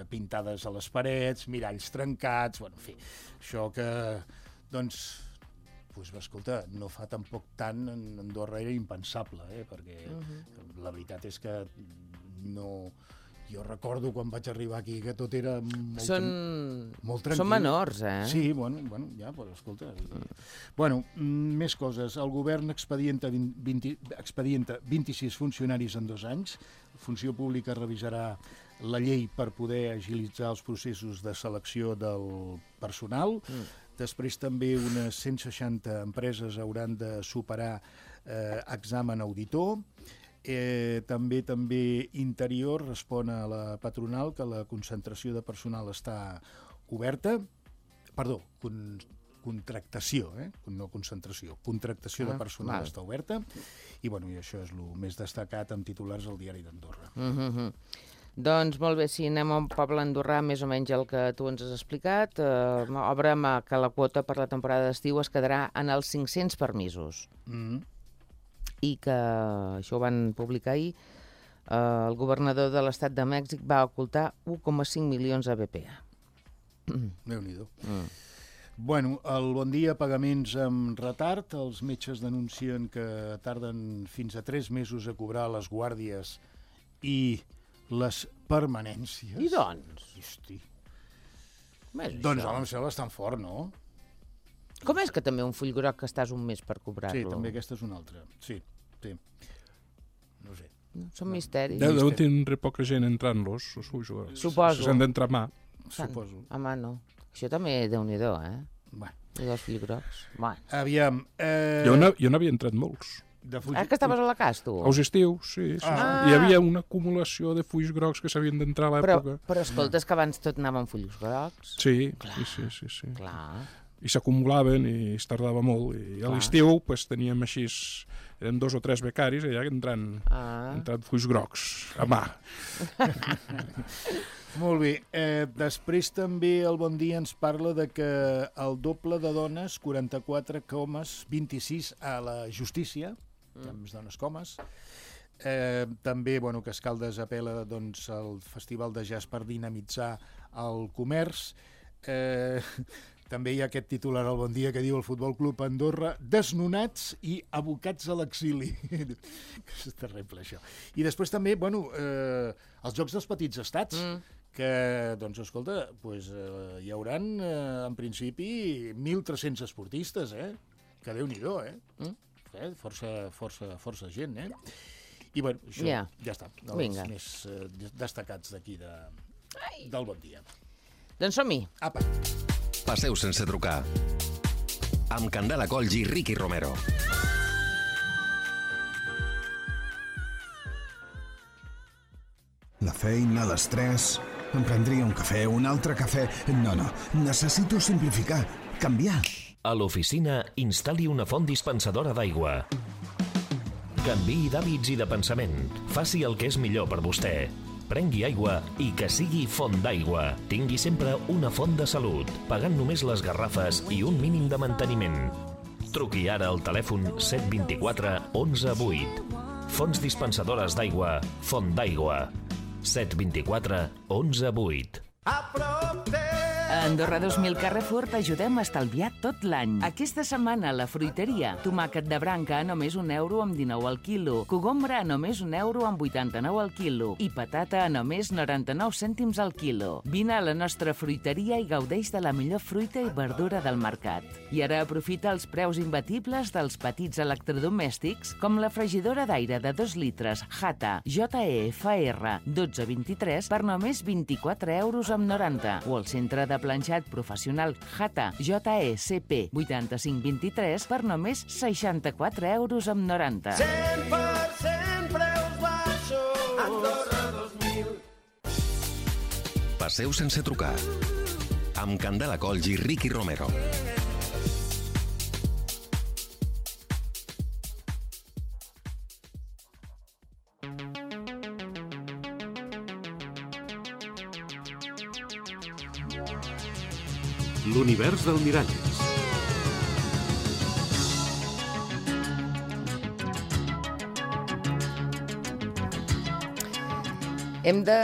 pintades a les parets, miralls trencats, bueno, en fi, això que, doncs, pues, escolta, no fa tampoc tant, en Andorra era impensable, eh? Perquè uh-huh. la veritat és que no... Jo recordo quan vaig arribar aquí que tot era molt, Són... molt tranquil. Són menors, eh? Sí, bueno, bueno ja, però escolta... Bueno, mm, més coses. El govern expedienta, vint, expedienta vint-i-sis funcionaris en dos anys. Funció Pública revisarà la llei per poder agilitzar els processos de selecció del personal. Mm. Després també unes cent seixanta empreses hauran de superar eh, examen auditor. Eh, també també Interior respon a la patronal que la concentració de personal està oberta. Perdó, con, contractació, eh? no concentració. Contractació ah, de personal val. Està oberta. I, bueno, i això és el més destacat amb titulars al Diari d'Andorra. Mm-hmm. Doncs molt bé, si anem a un poble andorrà, més o menys el que tu ens has explicat, eh, obre que la quota per la temporada d'estiu es quedarà en els cinc-cents permisos. Mm-hmm. I que això ho van publicar ahir, eh, el governador de l'estat de Mèxic va ocultar u coma cinc milions a B P A. Déu-n'hi-do. Mm. Bueno, el Bon Dia, pagaments amb retard. Els metges denuncien que tarden fins a tres mesos a cobrar les guàrdies i les permanències. I doncs? Hosti. Doncs, home, em sembla bastant fort, no? Com és que també un full groc que estàs un mes per cobrar-lo? Sí, també aquesta és una altra. Sí, sí. No sé. Són misteris. Deu, deuen tindre poca gent entrant-los, suposo. S'han d'entrar a mà. Suposo. A mà no. Això també Déu-n'hi-do, eh? Bueno. I els full grocs. Bueno. Aviam. Eh... Jo n'havia entrat molts. De fulls... Ah, que estaves a la cas, tu? Als estius, sí. sí. Ah. Hi havia una acumulació de fulls grocs que s'havien d'entrar a l'època. Però, però escolta, és que abans tot anava amb fulls grocs. Sí, sí, sí, sí, sí. Clar. I s'acumulaven i es tardava molt. I a l'estiu pues, teníem així, eren dos o tres becaris allà entrant, ah. entrant fulls grocs a mà. Molt bé. Eh, després també el Bon Dia ens parla de que el doble de dones, quaranta-quatre coma vint-i-sis a la justícia, mm. amb dones comes. Eh, també, bueno, que Escaldes apel·la doncs, al Festival de Jazz per dinamitzar el comerç. Eh, també hi ha aquest titular al Bon Dia que diu el Futbol Club Andorra desnonats i abocats a l'exili. És terrible, això. I després també, bueno, eh, els Jocs dels Petits Estats, mm. que, doncs, escolta, pues, eh, hi hauran, eh, en principi, mil tres-cents esportistes, eh? Que Déu-n'hi-do, eh? Mm. eh? Força, força, força gent, eh? I, bueno, això yeah. ja està. Els Vinga. Més eh, destacats d'aquí de, del Bon Dia. Doncs som-hi. Apa. Passeu sense trucar. Amb Candela Colls i Ricky Romero. La feina, l'estrès... Em prendria un cafè, un altre cafè... No, no, necessito simplificar, canviar. A l'oficina, instal·li una font dispensadora d'aigua. Canviï d'hàbits i de pensament. Faci el que és millor per vostè. Prengui aigua i que sigui font d'aigua. Tingui sempre una font de salut, pagant només les garrafes i un mínim de manteniment. Truqui ara al telèfon set dos quatre onze vuit. Fonts dispensadores d'aigua, Font d'Aigua. set dos quatre onze vuit. A Andorra dos mil Carrefour t'ajudem a estalviar tot l'any. Aquesta setmana a la fruiteria, tomàquet de branca a només un euro amb dinou al quilo, cogombra a només un euro amb vuitanta-nou al quilo i patata a només noranta-nou cèntims al quilo. Vine a la nostra fruiteria i gaudeix de la millor fruita i verdura del mercat. I ara aprofita els preus imbatibles dels petits electrodomèstics com la fregidora d'aire de dos litres Hata J E F R dotze vint-i-tres per només vint-i-quatre euros amb noranta o el centre de planxat professional Hata J E C P vuitanta-cinc vint-i-tres per només seixanta-quatre euros amb noranta. cent per cent preus baixos. Andorra dos mil. Passeu sense trucar. Amb Candela Colls i Ricky Romero. L'univers del Miralles. Hem de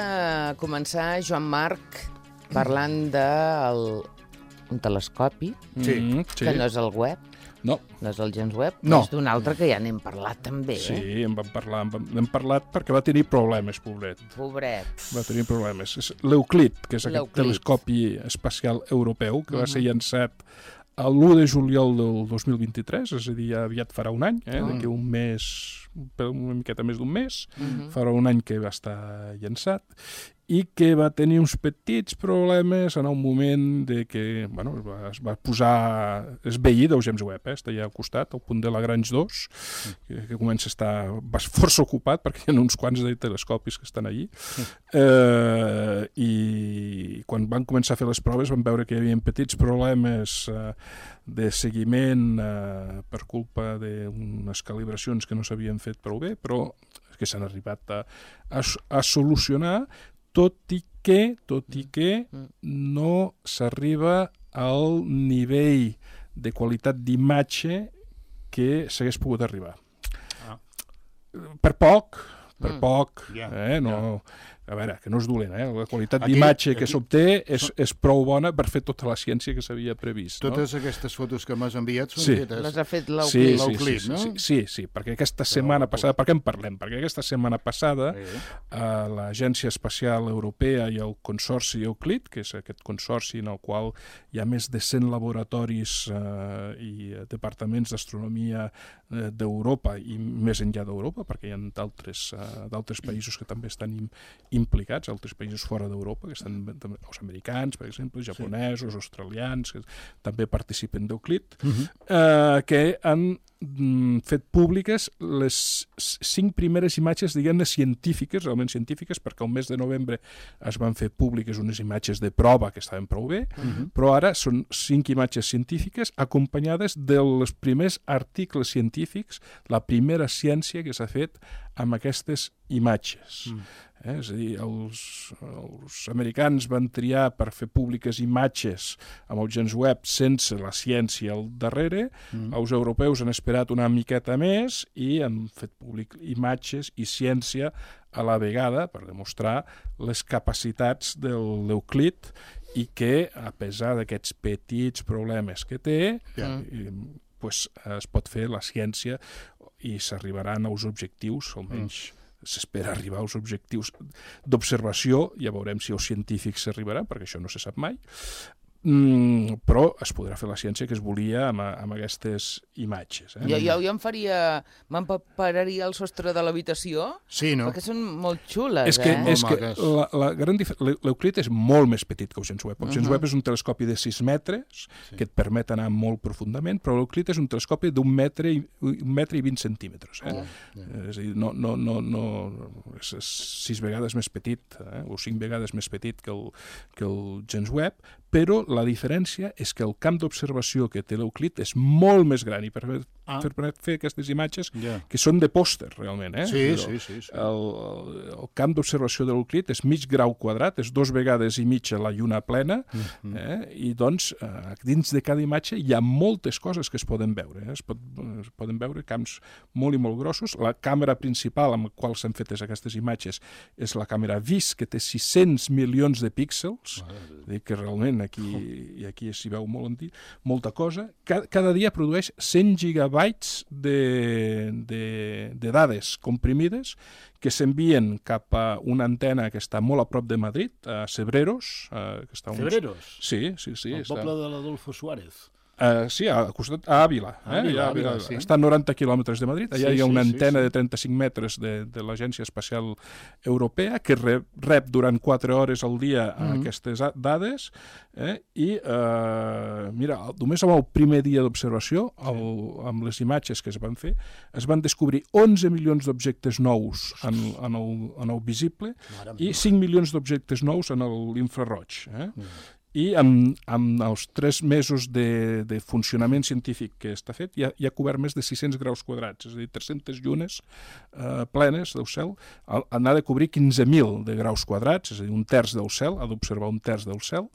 començar, Joan Marc, parlant d'un telescopi, sí, que sí. no és el web. No. No és el James Webb, no. És d'un altre que ja n'hem parlat també. Sí, eh? en vam parlar, en vam, hem parlat perquè va tenir problemes, pobret. Pobret. Va tenir problemes. És l'Euclid, que és aquest telescopi espacial europeu, que uh-huh. va ser llançat l'u de juliol del dos mil vint-i-tres, és a dir, ja aviat farà un any, eh? Uh-huh. D'aquí un mes, per una miqueta més d'un mes, Mhm. farà un any que va estar llançat, i que va tenir uns petits problemes en el moment de que, bueno, es va, es va posar... És veí del James Webb, eh? Està allà al costat, al punt de Lagrange dos, que, que comença a estar força ocupat, perquè hi ha uns quants de telescopis que estan allí. Eh, I quan van començar a fer les proves van veure que hi havia petits problemes eh, de seguiment eh, per culpa d'unes calibracions que no s'havien fet prou bé, però que s'han arribat a, a, a solucionar, tot i que, tot i que no s'arriba al nivell de qualitat d'imatge que s'hagués pogut arribar. Ah. Per poc, per Mm. poc, Ja, eh? No, a veure, que no és dolent, eh? La qualitat Aquí- d'imatge que aquí- s'obté és, és prou bona per fer tota la ciència que s'havia previst. Totes no? aquestes fotos que m'has enviat són Sí. fetes... Les ha fet Sí, l'Euclid. sí, l'Euclid, sí, no? sí, sí, sí, perquè aquesta setmana passada, per què en parlem? Perquè aquesta setmana passada Sí. eh, l'Agència Espacial Europea i el Consorci Euclid, que és aquest consorci en el qual hi ha més de cent laboratoris eh, i departaments d'astronomia eh, d'Europa i més enllà d'Europa, perquè hi ha d'altres eh, d'altres països que també estan im, implicats, altres països fora d'Europa, que estan també, els americans, per exemple, japonesos, sí. australians, que també participen d'Euclid, Mhm. eh, que han mm, fet públiques les cinc primeres imatges, diguem-ne, científiques, realment científiques, perquè el mes de novembre es van fer públiques unes imatges de prova que estaven prou bé, Mhm. però ara són cinc imatges científiques acompanyades dels primers articles científics, la primera ciència que s'ha fet amb aquestes imatges. Mm. Eh? És a dir, els, els americans van triar per fer públiques imatges amb el James Webb sense la ciència al darrere, Mm. els europeus han esperat una miqueta més i han fet públic imatges i ciència a la vegada per demostrar les capacitats de l'Euclid i que, a pesar d'aquests petits problemes que té, Ja. eh, pues, es pot fer la ciència i s'arribaran als objectius, almenys mm. s'espera arribar als objectius d'observació, ja veurem si els científics s'arribaran, perquè això no se sap mai, mm, però es podrà fer la ciència que es volia amb, amb aquestes imatges. Eh? Jo, jo, jo em faria... M'empapararia el sostre de l'habitació, Sí, no? perquè són molt xules, És que, eh? és que la, la gran dif... l'Euclid és molt més petit que el James Webb. El James Mhm. Webb és un telescopi de sis metres sí. que et permet anar molt profundament, però l'Euclid és un telescopi d'un metre i, un metre i vint centímetres. Eh? Oh, yeah. És a dir, no, no, no, no, és, és sis vegades més petit, eh? o cinc vegades més petit que el, que el James Webb, però la diferència és que el camp d'observació que té l'Euclid és molt més gran i per, Ah. per, per fer aquestes imatges Ja. que són de pòster, realment. Eh? Sí, El- sí, sí, sí. El, el, el camp d'observació de l'Euclid és mig grau quadrat, és dos vegades i mitja la lluna plena, Mhm. eh? i doncs eh, dins de cada imatge hi ha moltes coses que es poden veure. Eh? Es, pot, es poden veure camps molt i molt grossos. La càmera principal amb la qual s'han fetes aquestes imatges és la càmera V I S, que té sis-cents milions de píxels, és a dir, que realment aquí, i aquí s'hi veu molt, molta cosa. Cada, cada dia produeix cent gigabytes de, de, de dades comprimides que s'envien cap a una antena que està molt a prop de Madrid, a Cebreros. Eh, que està uns... Cebreros? Sí, sí, sí. El està... poble de l'Adolfo Suárez. Uh, sí, a, costat, a Àvila. Eh? Àvila, a Àvila, Àvila, sí. Està a noranta quilòmetres de Madrid. Allà Sí, hi ha una sí, antena sí, sí. de trenta-cinc metres de, de l'Agència Espacial Europea que rep, rep durant quatre hores al dia Mhm. aquestes a- dades eh? i, uh, mira, només amb el primer dia d'observació, el- amb les imatges que es van fer, es van descobrir onze milions d'objectes nous en, en, el, en el visible Mare i meva. cinc milions d'objectes nous en l'infraroig. Eh? I amb, amb els tres mesos de, de funcionament científic que està fet, ja, ja ha cobert més de sis-cents graus quadrats, és a dir, tres-centes llunes eh, plenes del cel. Ha de cobrir quinze mil de graus quadrats, és a dir, un terç del cel, ha d'observar un terç del cel,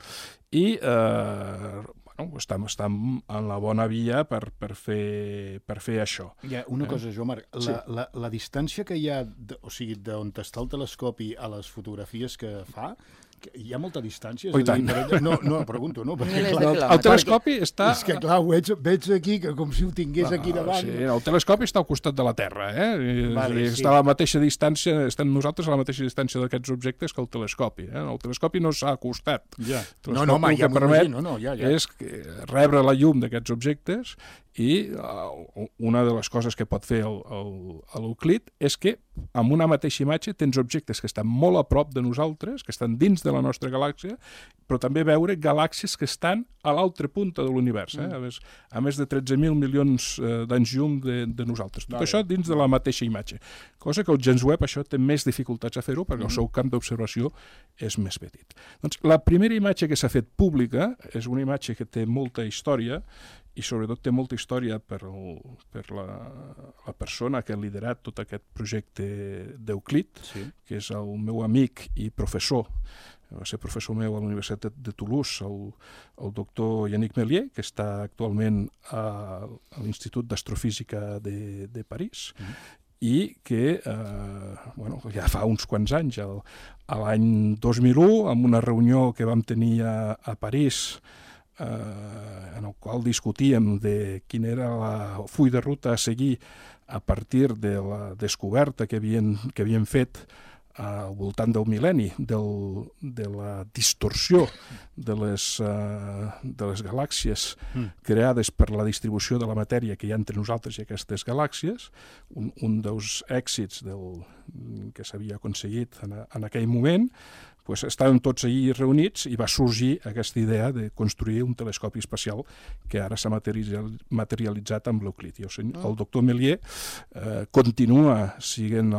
i eh, bueno, estem, estem en la bona via per, per, fer, per fer això. Hi ha una Eh? cosa, Joan Marc, la, Sí. la, la distància que hi ha, de, o sigui, d'on està el telescopi a les fotografies que fa, que hi ha molta distància? És Oh, i a dir, tant. per- No, no, pregunto, no? Perquè, Milers de clar, quilòmetres. El telescopi està... És que, clar, ho veig, veig aquí que com si ho tingués aquí davant. Sí, el telescopi està al costat de la Terra, eh? I, Vale, i sí. està a la mateixa distància, estem nosaltres a la mateixa distància d'aquests objectes que el telescopi. Eh? El telescopi no s'ha acostat. Ja. El No, no, home, telescopi ja el que permet m'imagino, no, ja, ja. és que rebre la llum d'aquests objectes I uh, una de les coses que pot fer l'Euclid és que amb una mateixa imatge tens objectes que estan molt a prop de nosaltres, que estan dins de la nostra galàxia, però també veure galàxies que estan a l'altra punta de l'univers, eh? a, més, a més de tretze mil milions eh, d'anys llum de, de nosaltres. Tot vale. Això dins de la mateixa imatge. Cosa que el James Webb això té més dificultats a fer-ho perquè mm. el seu camp d'observació és més petit. Doncs la primera imatge que s'ha fet pública és una imatge que té molta història i sobretot té molta història per, el, per la, la persona que ha liderat tot aquest projecte d'Euclid, sí. que és el meu amic i professor, va ser professor meu a la Universitat de Toulouse, el, el doctor Yannick Méliès, que està actualment a, a l'Institut d'Astrofísica de, de París, mm. i que eh, bueno, ja fa uns quants anys, el, a l'any dos mil u, en una reunió que vam tenir a, a París, Eh, en el qual discutíem de quin era la full de ruta a seguir a partir de la descoberta que havien, que havien fet al voltant del mil·lenni, del, de la distorsió de les, uh, de les galàxies mm. creades per la distribució de la matèria que hi ha entre nosaltres i aquestes galàxies, un, un dels èxits del, que s'havia aconseguit en, en aquell moment, pues estàvem tots allí reunits i va sorgir aquesta idea de construir un telescopi espacial que ara s'ha materialitzat amb l'Euclid. I el, el doctor Méliès eh, continua sent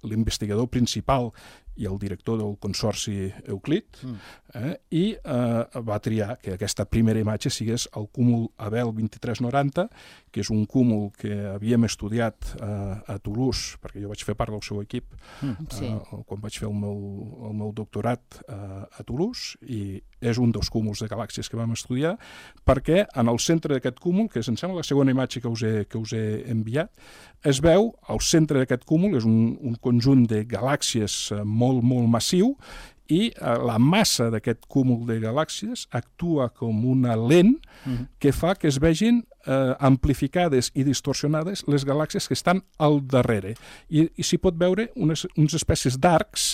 l'investigador principal i el director del consorci Euclid, eh, i eh, va triar que aquesta primera imatge sigués el cúmul Abell vint-i-tres noranta, que és un cúmul que havíem estudiat eh, a Toulouse, perquè jo vaig fer part del seu equip mm, sí. eh, quan vaig fer el meu, el meu doctorat eh, a Toulouse, i és un dels cúmuls de galàxies que vam estudiar, perquè en el centre d'aquest cúmul, que em sembla la segona imatge que us he, que us he enviat, es veu, al centre d'aquest cúmul, és un, un conjunt de galàxies eh, molt, molt massiu, i eh, la massa d'aquest cúmul de galàxies actua com una lent mm-hmm. que fa que es vegin eh, amplificades i distorsionades les galàxies que estan al darrere. I, i s'hi pot veure unes, unes espècies d'arcs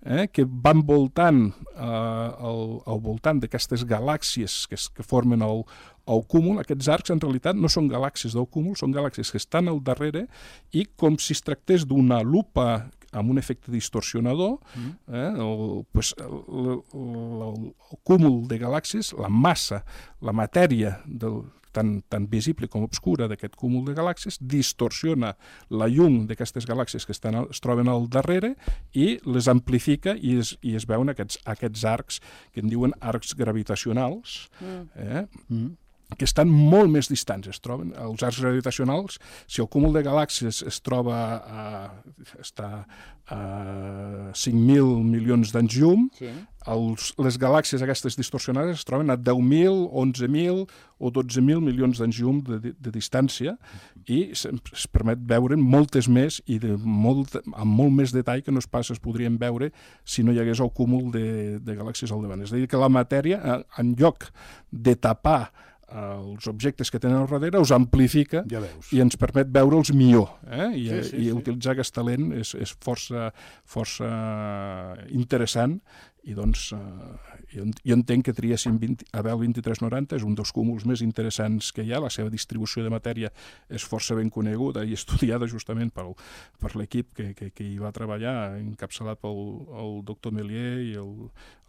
eh, que van voltant eh, al, al voltant d'aquestes galàxies que, que formen el, el cúmul. Aquests arcs en realitat no són galàxies del cúmul, són galàxies que estan al darrere, i com si es tractés d'una lupa amb un efecte distorsionador, mm. eh, el, pues, el, el, el cúmul de galàxies, la massa, la matèria del, tan, tan visible com obscura d'aquest cúmul de galàxies, distorsiona la llum d'aquestes galàxies que estan, es troben al darrere i les amplifica, i es, i es veuen aquests, aquests arcs que en diuen arcs gravitacionals, mm. eh, mm. que estan molt més distants. Es troben els arcs gravitacionals, si el cúmul de galàxies es troba a, està a cinc mil milions d'anys llum, sí. els, les galàxies aquestes distorsionades es troben a deu mil, onze mil o dotze mil milions d'anys llum de, de, de distància, i es, es permet veure moltes més i de molt, amb molt més detall que no es pas es podrien veure si no hi hagués el cúmul de, de galàxies al davant. És a dir, que la matèria, en lloc de tapar els objectes que tenen al darrere, els amplifica ja i ens permet veure'ls millor. Eh? I, sí, sí, i sí. utilitzar aquest talent és, és força, força interessant, i doncs eh, jo, jo entenc que triessin Abell vint-i-tres noranta, és un dels cúmuls més interessants que hi ha, la seva distribució de matèria és força ben coneguda i estudiada justament pel, per l'equip que, que, que hi va treballar, encapçalat pel el doctor Méliès i el,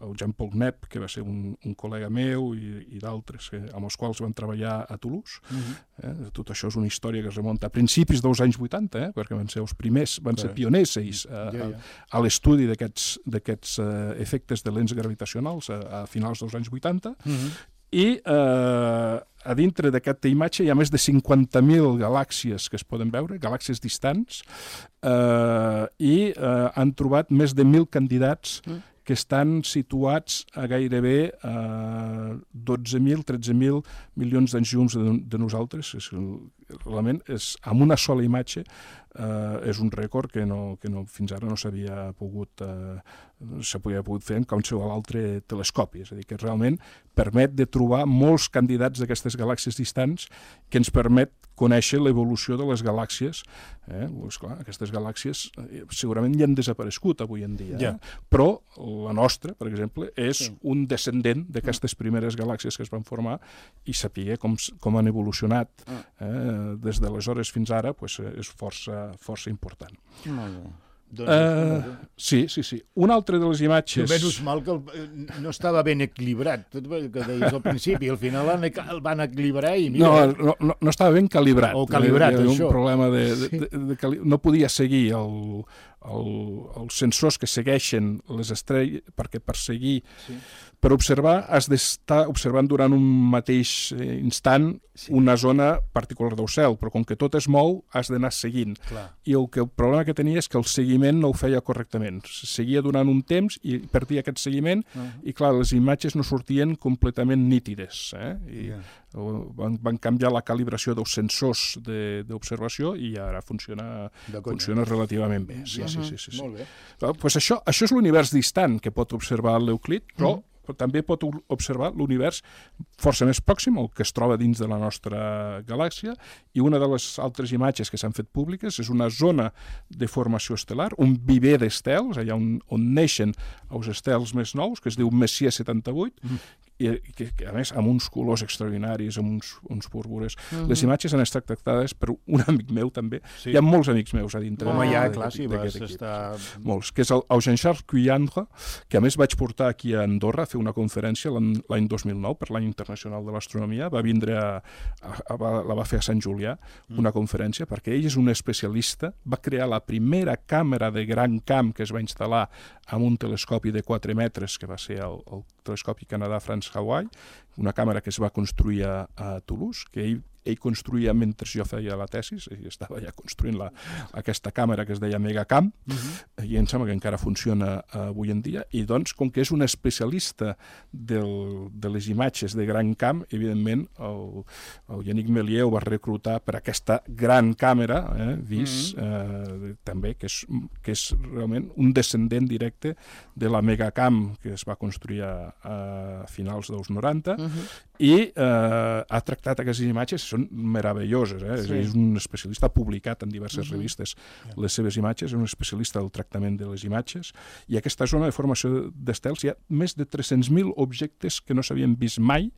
el Jean-Paul Knepp, que va ser un, un col·lega meu, i, i d'altres que, amb els quals van treballar a Toulouse. Mm-hmm. eh? Tot això és una història que es remunta a principis dels anys vuitanta, eh? perquè van ser els primers, van ser pioners ells, a, a, a l'estudi d'aquests d'aquests uh, efectes de lents gravitacionals a, a finals dels anys vuitanta, mm-hmm. i eh, a dintre d'aquesta imatge hi ha més de cinquanta mil galàxies que es poden veure, galàxies distants, eh, i eh, han trobat més de mil candidats mm. que estan situats a gairebé eh, dotze mil, tretze mil milions d'anys llums de, de nosaltres. És, realment és, amb una sola imatge eh, és un rècord que, no, que no, fins ara no s'havia pogut, eh, s'havia pogut fer en qualsevol altre telescopi. És a dir, que realment permet de trobar molts candidats d'aquestes galàxies distants que ens permet conèixer l'evolució de les galàxies. Eh? Pues, clar, aquestes galàxies eh, segurament ja han desaparegut avui en dia, ja. eh? Però la nostra, per exemple, és sí. un descendent d'aquestes primeres galàxies que es van formar i saber com, com han evolucionat eh? des d'aleshores fins ara, pues, és força, força important. Molt bé. Doncs, uh, sí, sí, sí. Una altra de les imatges... Menys mal que el, no estava ben equilibrat, tot el que deies al principi, al final el van equilibrar i mira... No, no, no estava ben calibrat. O calibrat, Hi això. Un problema de, de, de, de, de... No podia seguir el, el, els sensors que segueixen les estrelles, perquè per seguir... Sí. Per observar, has d'estar observant durant un mateix instant sí. una zona particular del cel, però com que tot es mou, has d'anar seguint. Clar. I el, que, el problema que tenia és que el seguiment no ho feia correctament. Seguia durant un temps i perdia aquest seguiment, uh -huh. i clar, les imatges no sortien completament nítides. Eh? I yeah. van, van canviar la calibració dels sensors d'observació i ara funciona, funciona relativament bé. Sí, uh -huh. sí, sí, sí, sí. Molt bé. Pues això, això és l'univers distant que pot observar l'Euclid, però uh -huh. però també pot observar l'univers força més pròxim, el que es troba dins de la nostra galàxia, i una de les altres imatges que s'han fet públiques és una zona de formació estel·lar, un viver d'estels, allà on, on neixen els estels més nous, que es diu Messier setanta-vuit, mm. i que, que a més amb uns colors extraordinaris, amb uns, uns púrpures. Mm-hmm. Les imatges han estat tractades per un amic meu també. Sí. Hi ha molts amics meus a dintre. Home, ja, clar, sí, vas estar... Molts, que és el Jean-Charles Cuyandre, que a més vaig portar aquí a Andorra a fer una conferència l'any dos mil nou per l'any internacional de l'astronomia. Va vindre a, a, a, la va fer a Sant Julià, una conferència, perquè ell és un especialista, va crear la primera càmera de gran camp que es va instal·lar amb un telescopi de quatre metres, que va ser el, el telescopi Canadà-France-Hawaii, una càmera que es va construir a, a Toulouse, que ell, ell construïa mentre jo feia la tesis, ell estava ja construint la, aquesta càmera que es deia Megacam, uh-huh. i em sembla que encara funciona uh, avui en dia, i doncs, com que és un especialista del, de les imatges de gran camp, evidentment, el, el Yannick Méliès ho va reclutar per aquesta gran càmera, eh, vist, uh-huh. eh, també, que és, que és realment un descendent directe de la Megacam que es va construir a, a finals dels noranta, uh-huh. i eh, ha tractat aquestes imatges, són meravelloses, eh? Sí. És un especialista, ha publicat en diverses uh-huh. revistes les seves imatges, és un especialista del tractament de les imatges, i aquesta zona de formació d'estels hi ha més de tres-cents mil objectes que no s'havien vist mai,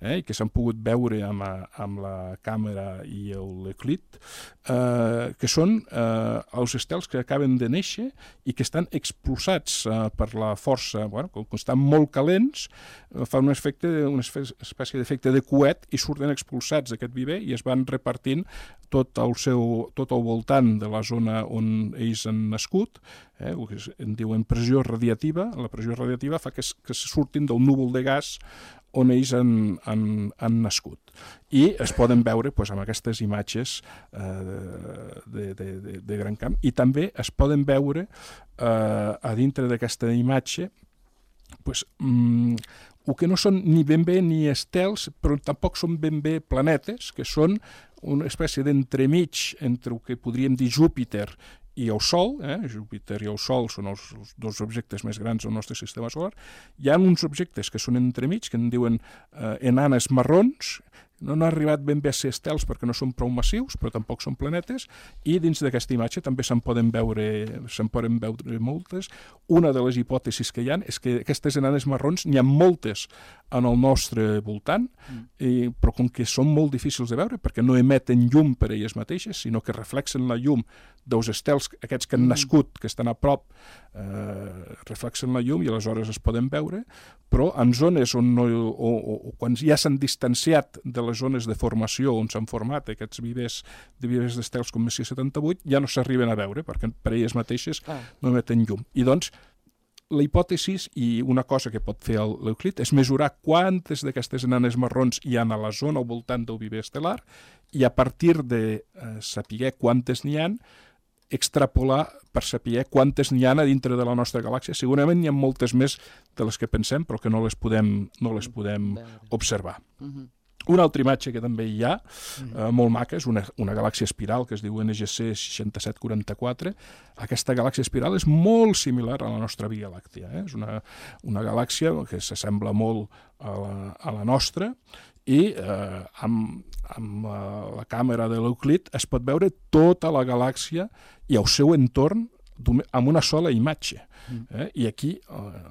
eh? i que s'han pogut veure amb, a, amb la càmera i l'Euclid, eh, que són eh, els estels que acaben de néixer i que estan expulsats eh, per la força, bueno, com que estan molt calents, eh, fa un efecte, una espècie d'efecte de coet i surten expulsats d'aquest viver i es van repartint tot el seu, tot al voltant de la zona on ells han nascut, eh, el que en diuen pressió radiativa. La pressió radiativa fa que, es, que surtin del núvol de gas on ells han, han, han nascut. I es poden veure pues, amb aquestes imatges eh, de, de, de, de gran camp, i també es poden veure eh, a dintre d'aquesta imatge pues, mm, el que no són ni ben bé ni estels, però tampoc són ben bé planetes, que són una espècie d'entremig entre el que podríem dir Júpiter i el Sol, eh? Júpiter i el Sol són els, els dos objectes més grans del nostre sistema solar. Hi ha uns objectes que són entremig, que en diuen eh, enanes marrons, no han arribat ben bé a ser estels perquè no són prou massius, però tampoc són planetes, i dins d'aquesta imatge també se'n poden veure se'n poden veure moltes. Una de les hipòtesis que hi ha és que aquestes enanes marrons n'hi ha moltes en el nostre voltant, mm. i, però com que són molt difícils de veure perquè no emeten llum per elles mateixes, sinó que reflexen la llum dels estels, aquests que han nascut, que estan a prop, eh, reflexen la llum i aleshores es poden veure, però en zones on no, o, o, o quan ja s'han distanciat de les zones de formació on s'han format aquests vivers de vivers d'estels com Messier setanta-vuit, ja no s'arriben a veure perquè per elles mateixes ah. no emeten llum. I doncs la hipòtesi i una cosa que pot fer l'Euclid és mesurar quantes d'aquestes enanes marrons hi ha a la zona al voltant del viver estel·lar i a partir de eh, saber quantes n'hi ha, extrapolar per saber quantes n'hi ha a dintre de la nostra galàxia. Segurament n'hi ha moltes més de les que pensem, però que no les podem, no les podem observar. Uh-huh. Una altra imatge que també hi ha, eh, molt maca, és una, una galàxia espiral que es diu N G C seixanta-set quaranta-quatre. Aquesta galàxia espiral és molt similar a la nostra Via Làctia. Eh? És una, una galàxia que s'assembla molt a la, a la nostra i eh, amb, amb la, la càmera de l'Euclid es pot veure tota la galàxia i el seu entorn amb una sola imatge. Eh? I aquí eh,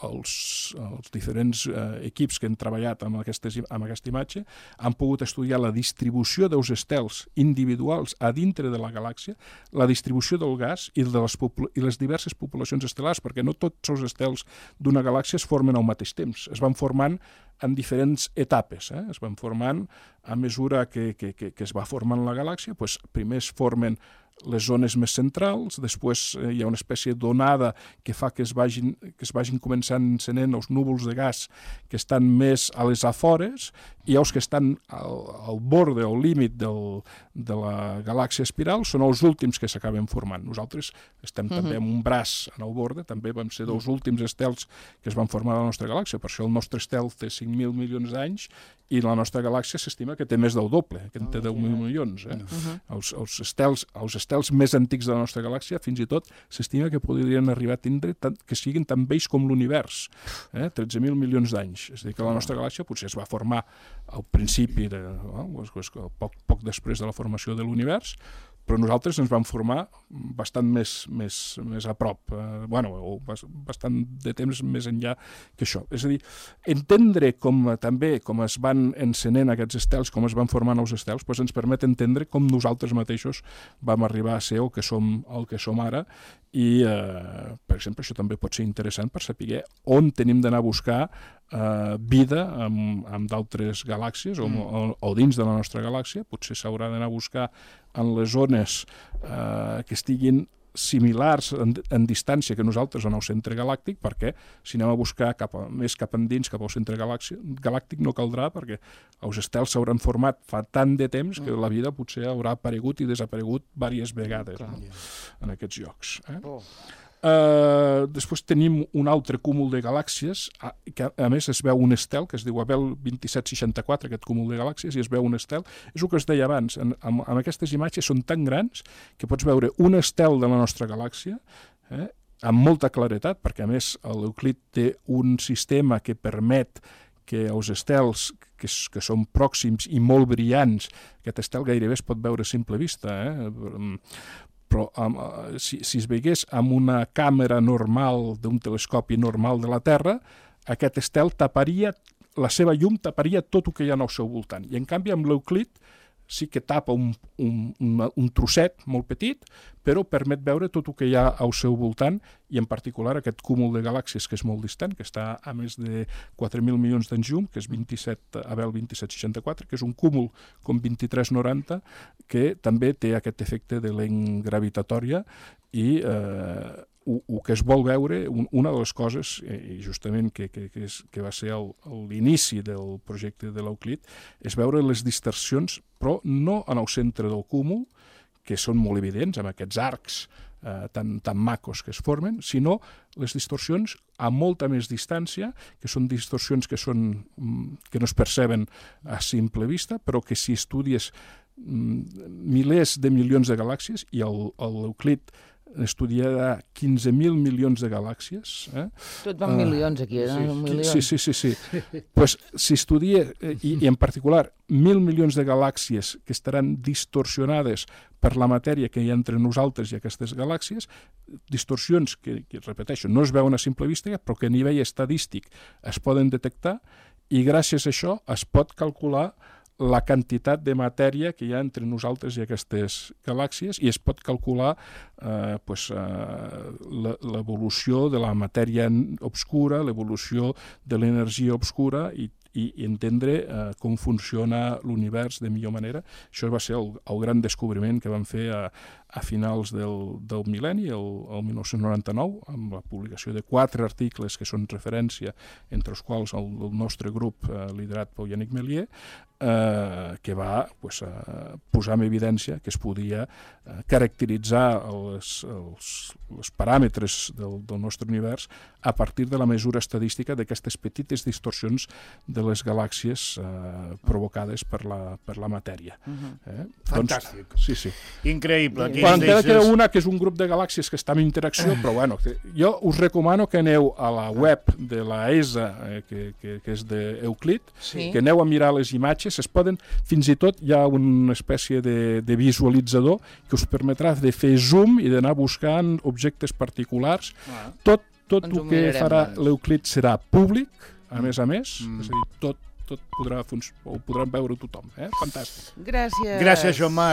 els, els diferents eh, equips que han treballat amb, aquestes, amb aquesta imatge han pogut estudiar la distribució dels estels individuals a dintre de la galàxia, la distribució del gas i, de les, i les diverses poblacions estel·lars, perquè no tots els estels d'una galàxia es formen al mateix temps, es van formant en diferents etapes. Eh? Es van formant a mesura que, que, que, que es va formant la galàxia, doncs primer es formen les zones més centrals, després eh, hi ha una espècie d'onada que fa que es vagin, que es vagin començant encenent els núvols de gas que estan més a les afores i els que estan al, al borde, al límit del, de la galàxia espiral són els últims que s'acaben formant. Nosaltres estem uh-huh. també amb un braç en el borde, també vam ser dels últims estels que es van formar a la nostra galàxia, per això el nostre estel té cinc mil milions d'anys i la nostra galàxia s'estima que té més del doble, que en té deu mil milions. Eh? Uh-huh. els, els, estels, els estels més antics de la nostra galàxia, fins i tot, s'estima que podrien arribar a tindre tant, que siguin tan vells com l'univers, eh? tretze mil milions d'anys. És a dir, que la nostra galàxia potser es va formar al principi, de, no? poc, poc després de la formació de l'univers, però nosaltres ens vam formar bastant més, més, més a prop, eh, bueno, o bastant de temps més enllà que això. És a dir, entendre com també com es van encenent aquests estels, com es van formant els estels, doncs ens permet entendre com nosaltres mateixos vam arribar a ser el que som, el que som ara i, eh, per exemple, això també pot ser interessant per saber on tenim d'anar a buscar eh, vida amb, amb d'altres galàxies o, mm. o, o dins de la nostra galàxia. Potser s'haurà d'anar a buscar en les zones eh, que estiguin similars en, en distància que nosaltres en el centre galàctic, perquè si anem a buscar cap a, més cap endins, cap al centre galàctic, no caldrà, perquè els estels s'hauran format fa tant de temps que la vida potser haurà aparegut i desaparegut diverses vegades no? en aquests llocs. Eh? Oh. Uh, després tenim un altre cúmul de galàxies, a, que a més es veu un estel, que es diu Abel vint-i-set seixanta-quatre, aquest cúmul de galàxies, i es veu un estel. És el que es deia abans, en, en, en aquestes imatges són tan grans que pots veure un estel de la nostra galàxia, eh, amb molta claretat, perquè a més l'Euclid té un sistema que permet que els estels que, que són pròxims i molt brillants, aquest estel gairebé es pot veure a simple vista, eh, però um, si, si es veigués amb una càmera normal d'un telescopi normal de la Terra, aquest estel taparia, la seva llum taparia tot el que hi ha al seu voltant. I en canvi amb l'Euclid sí que tapa un, un, un, un trosset molt petit, però permet veure tot el que hi ha al seu voltant i en particular aquest cúmul de galàxies que és molt distant, que està a més de quatre mil milions d'anys llum, que és vint-i-set, Abel vint-i-set seixanta-quatre, que és un cúmul com vint-i-tres noranta, que també té aquest efecte de lent gravitatòria i eh, el que es vol veure, un, una de les coses, i justament que, que, que, és, que va ser l'inici del projecte de l'Euclid, és veure les distorsions, però no en el centre del cúmul, que són molt evidents, amb aquests arcs eh, tan, tan macos que es formen, sinó les distorsions a molta més distància, que són distorsions que, són, que no es perceben a simple vista, però que si estudies milers de milions de galàxies, i l'Euclid estudiarà quinze mil milions de galàxies. Eh? Tot van uh, milions aquí, eh? Sí, milions. sí, sí. sí, sí. Pues, si estudia, i, i en particular, mil milions de galàxies que estaran distorsionades per la matèria que hi ha entre nosaltres i aquestes galàxies, distorsions que, que repeteixo, no es veuen a simple vista, però que a nivell estadístic es poden detectar, i gràcies a això es pot calcular la quantitat de matèria que hi ha entre nosaltres i aquestes galàxies, i es pot calcular eh, pues, eh, l'evolució de la matèria obscura, l'evolució de l'energia obscura, i, i entendre eh, com funciona l'univers de millor manera. Això va ser el, el gran descobriment que vam fer a, a finals del, del mil·lenni, el, el mil nou-cents noranta-nou, amb la publicació de quatre articles que són referència, entre els quals el, el nostre grup, eh, liderat per Yannick Méliès, eh, que va pues, eh, posar en evidència que es podia eh, caracteritzar els, els, els paràmetres del, del nostre univers a partir de la mesura estadística d'aquestes petites distorsions de les galàxies eh, provocades per la, per la matèria. Uh-huh. eh? Fantàstic. Doncs, sí, sí. Increïble. Bueno, encara queda una que és un grup de galàxies que està en interacció, però bueno, jo us recomano que aneu a la web de la E S A, eh, que, que, que és d'Euclid, sí. que aneu a mirar les imatges, es poden, fins i tot hi ha una espècie de, de visualitzador que us permetrà de fer zoom i d'anar buscant objectes particulars. Ah. Tot, tot el que farà l'Euclid serà públic, a més a més, mm. és a dir, tot, tot podrà, ho podran veure tothom. Eh? Fantàstic. Gràcies. Gràcies, Joan Marc.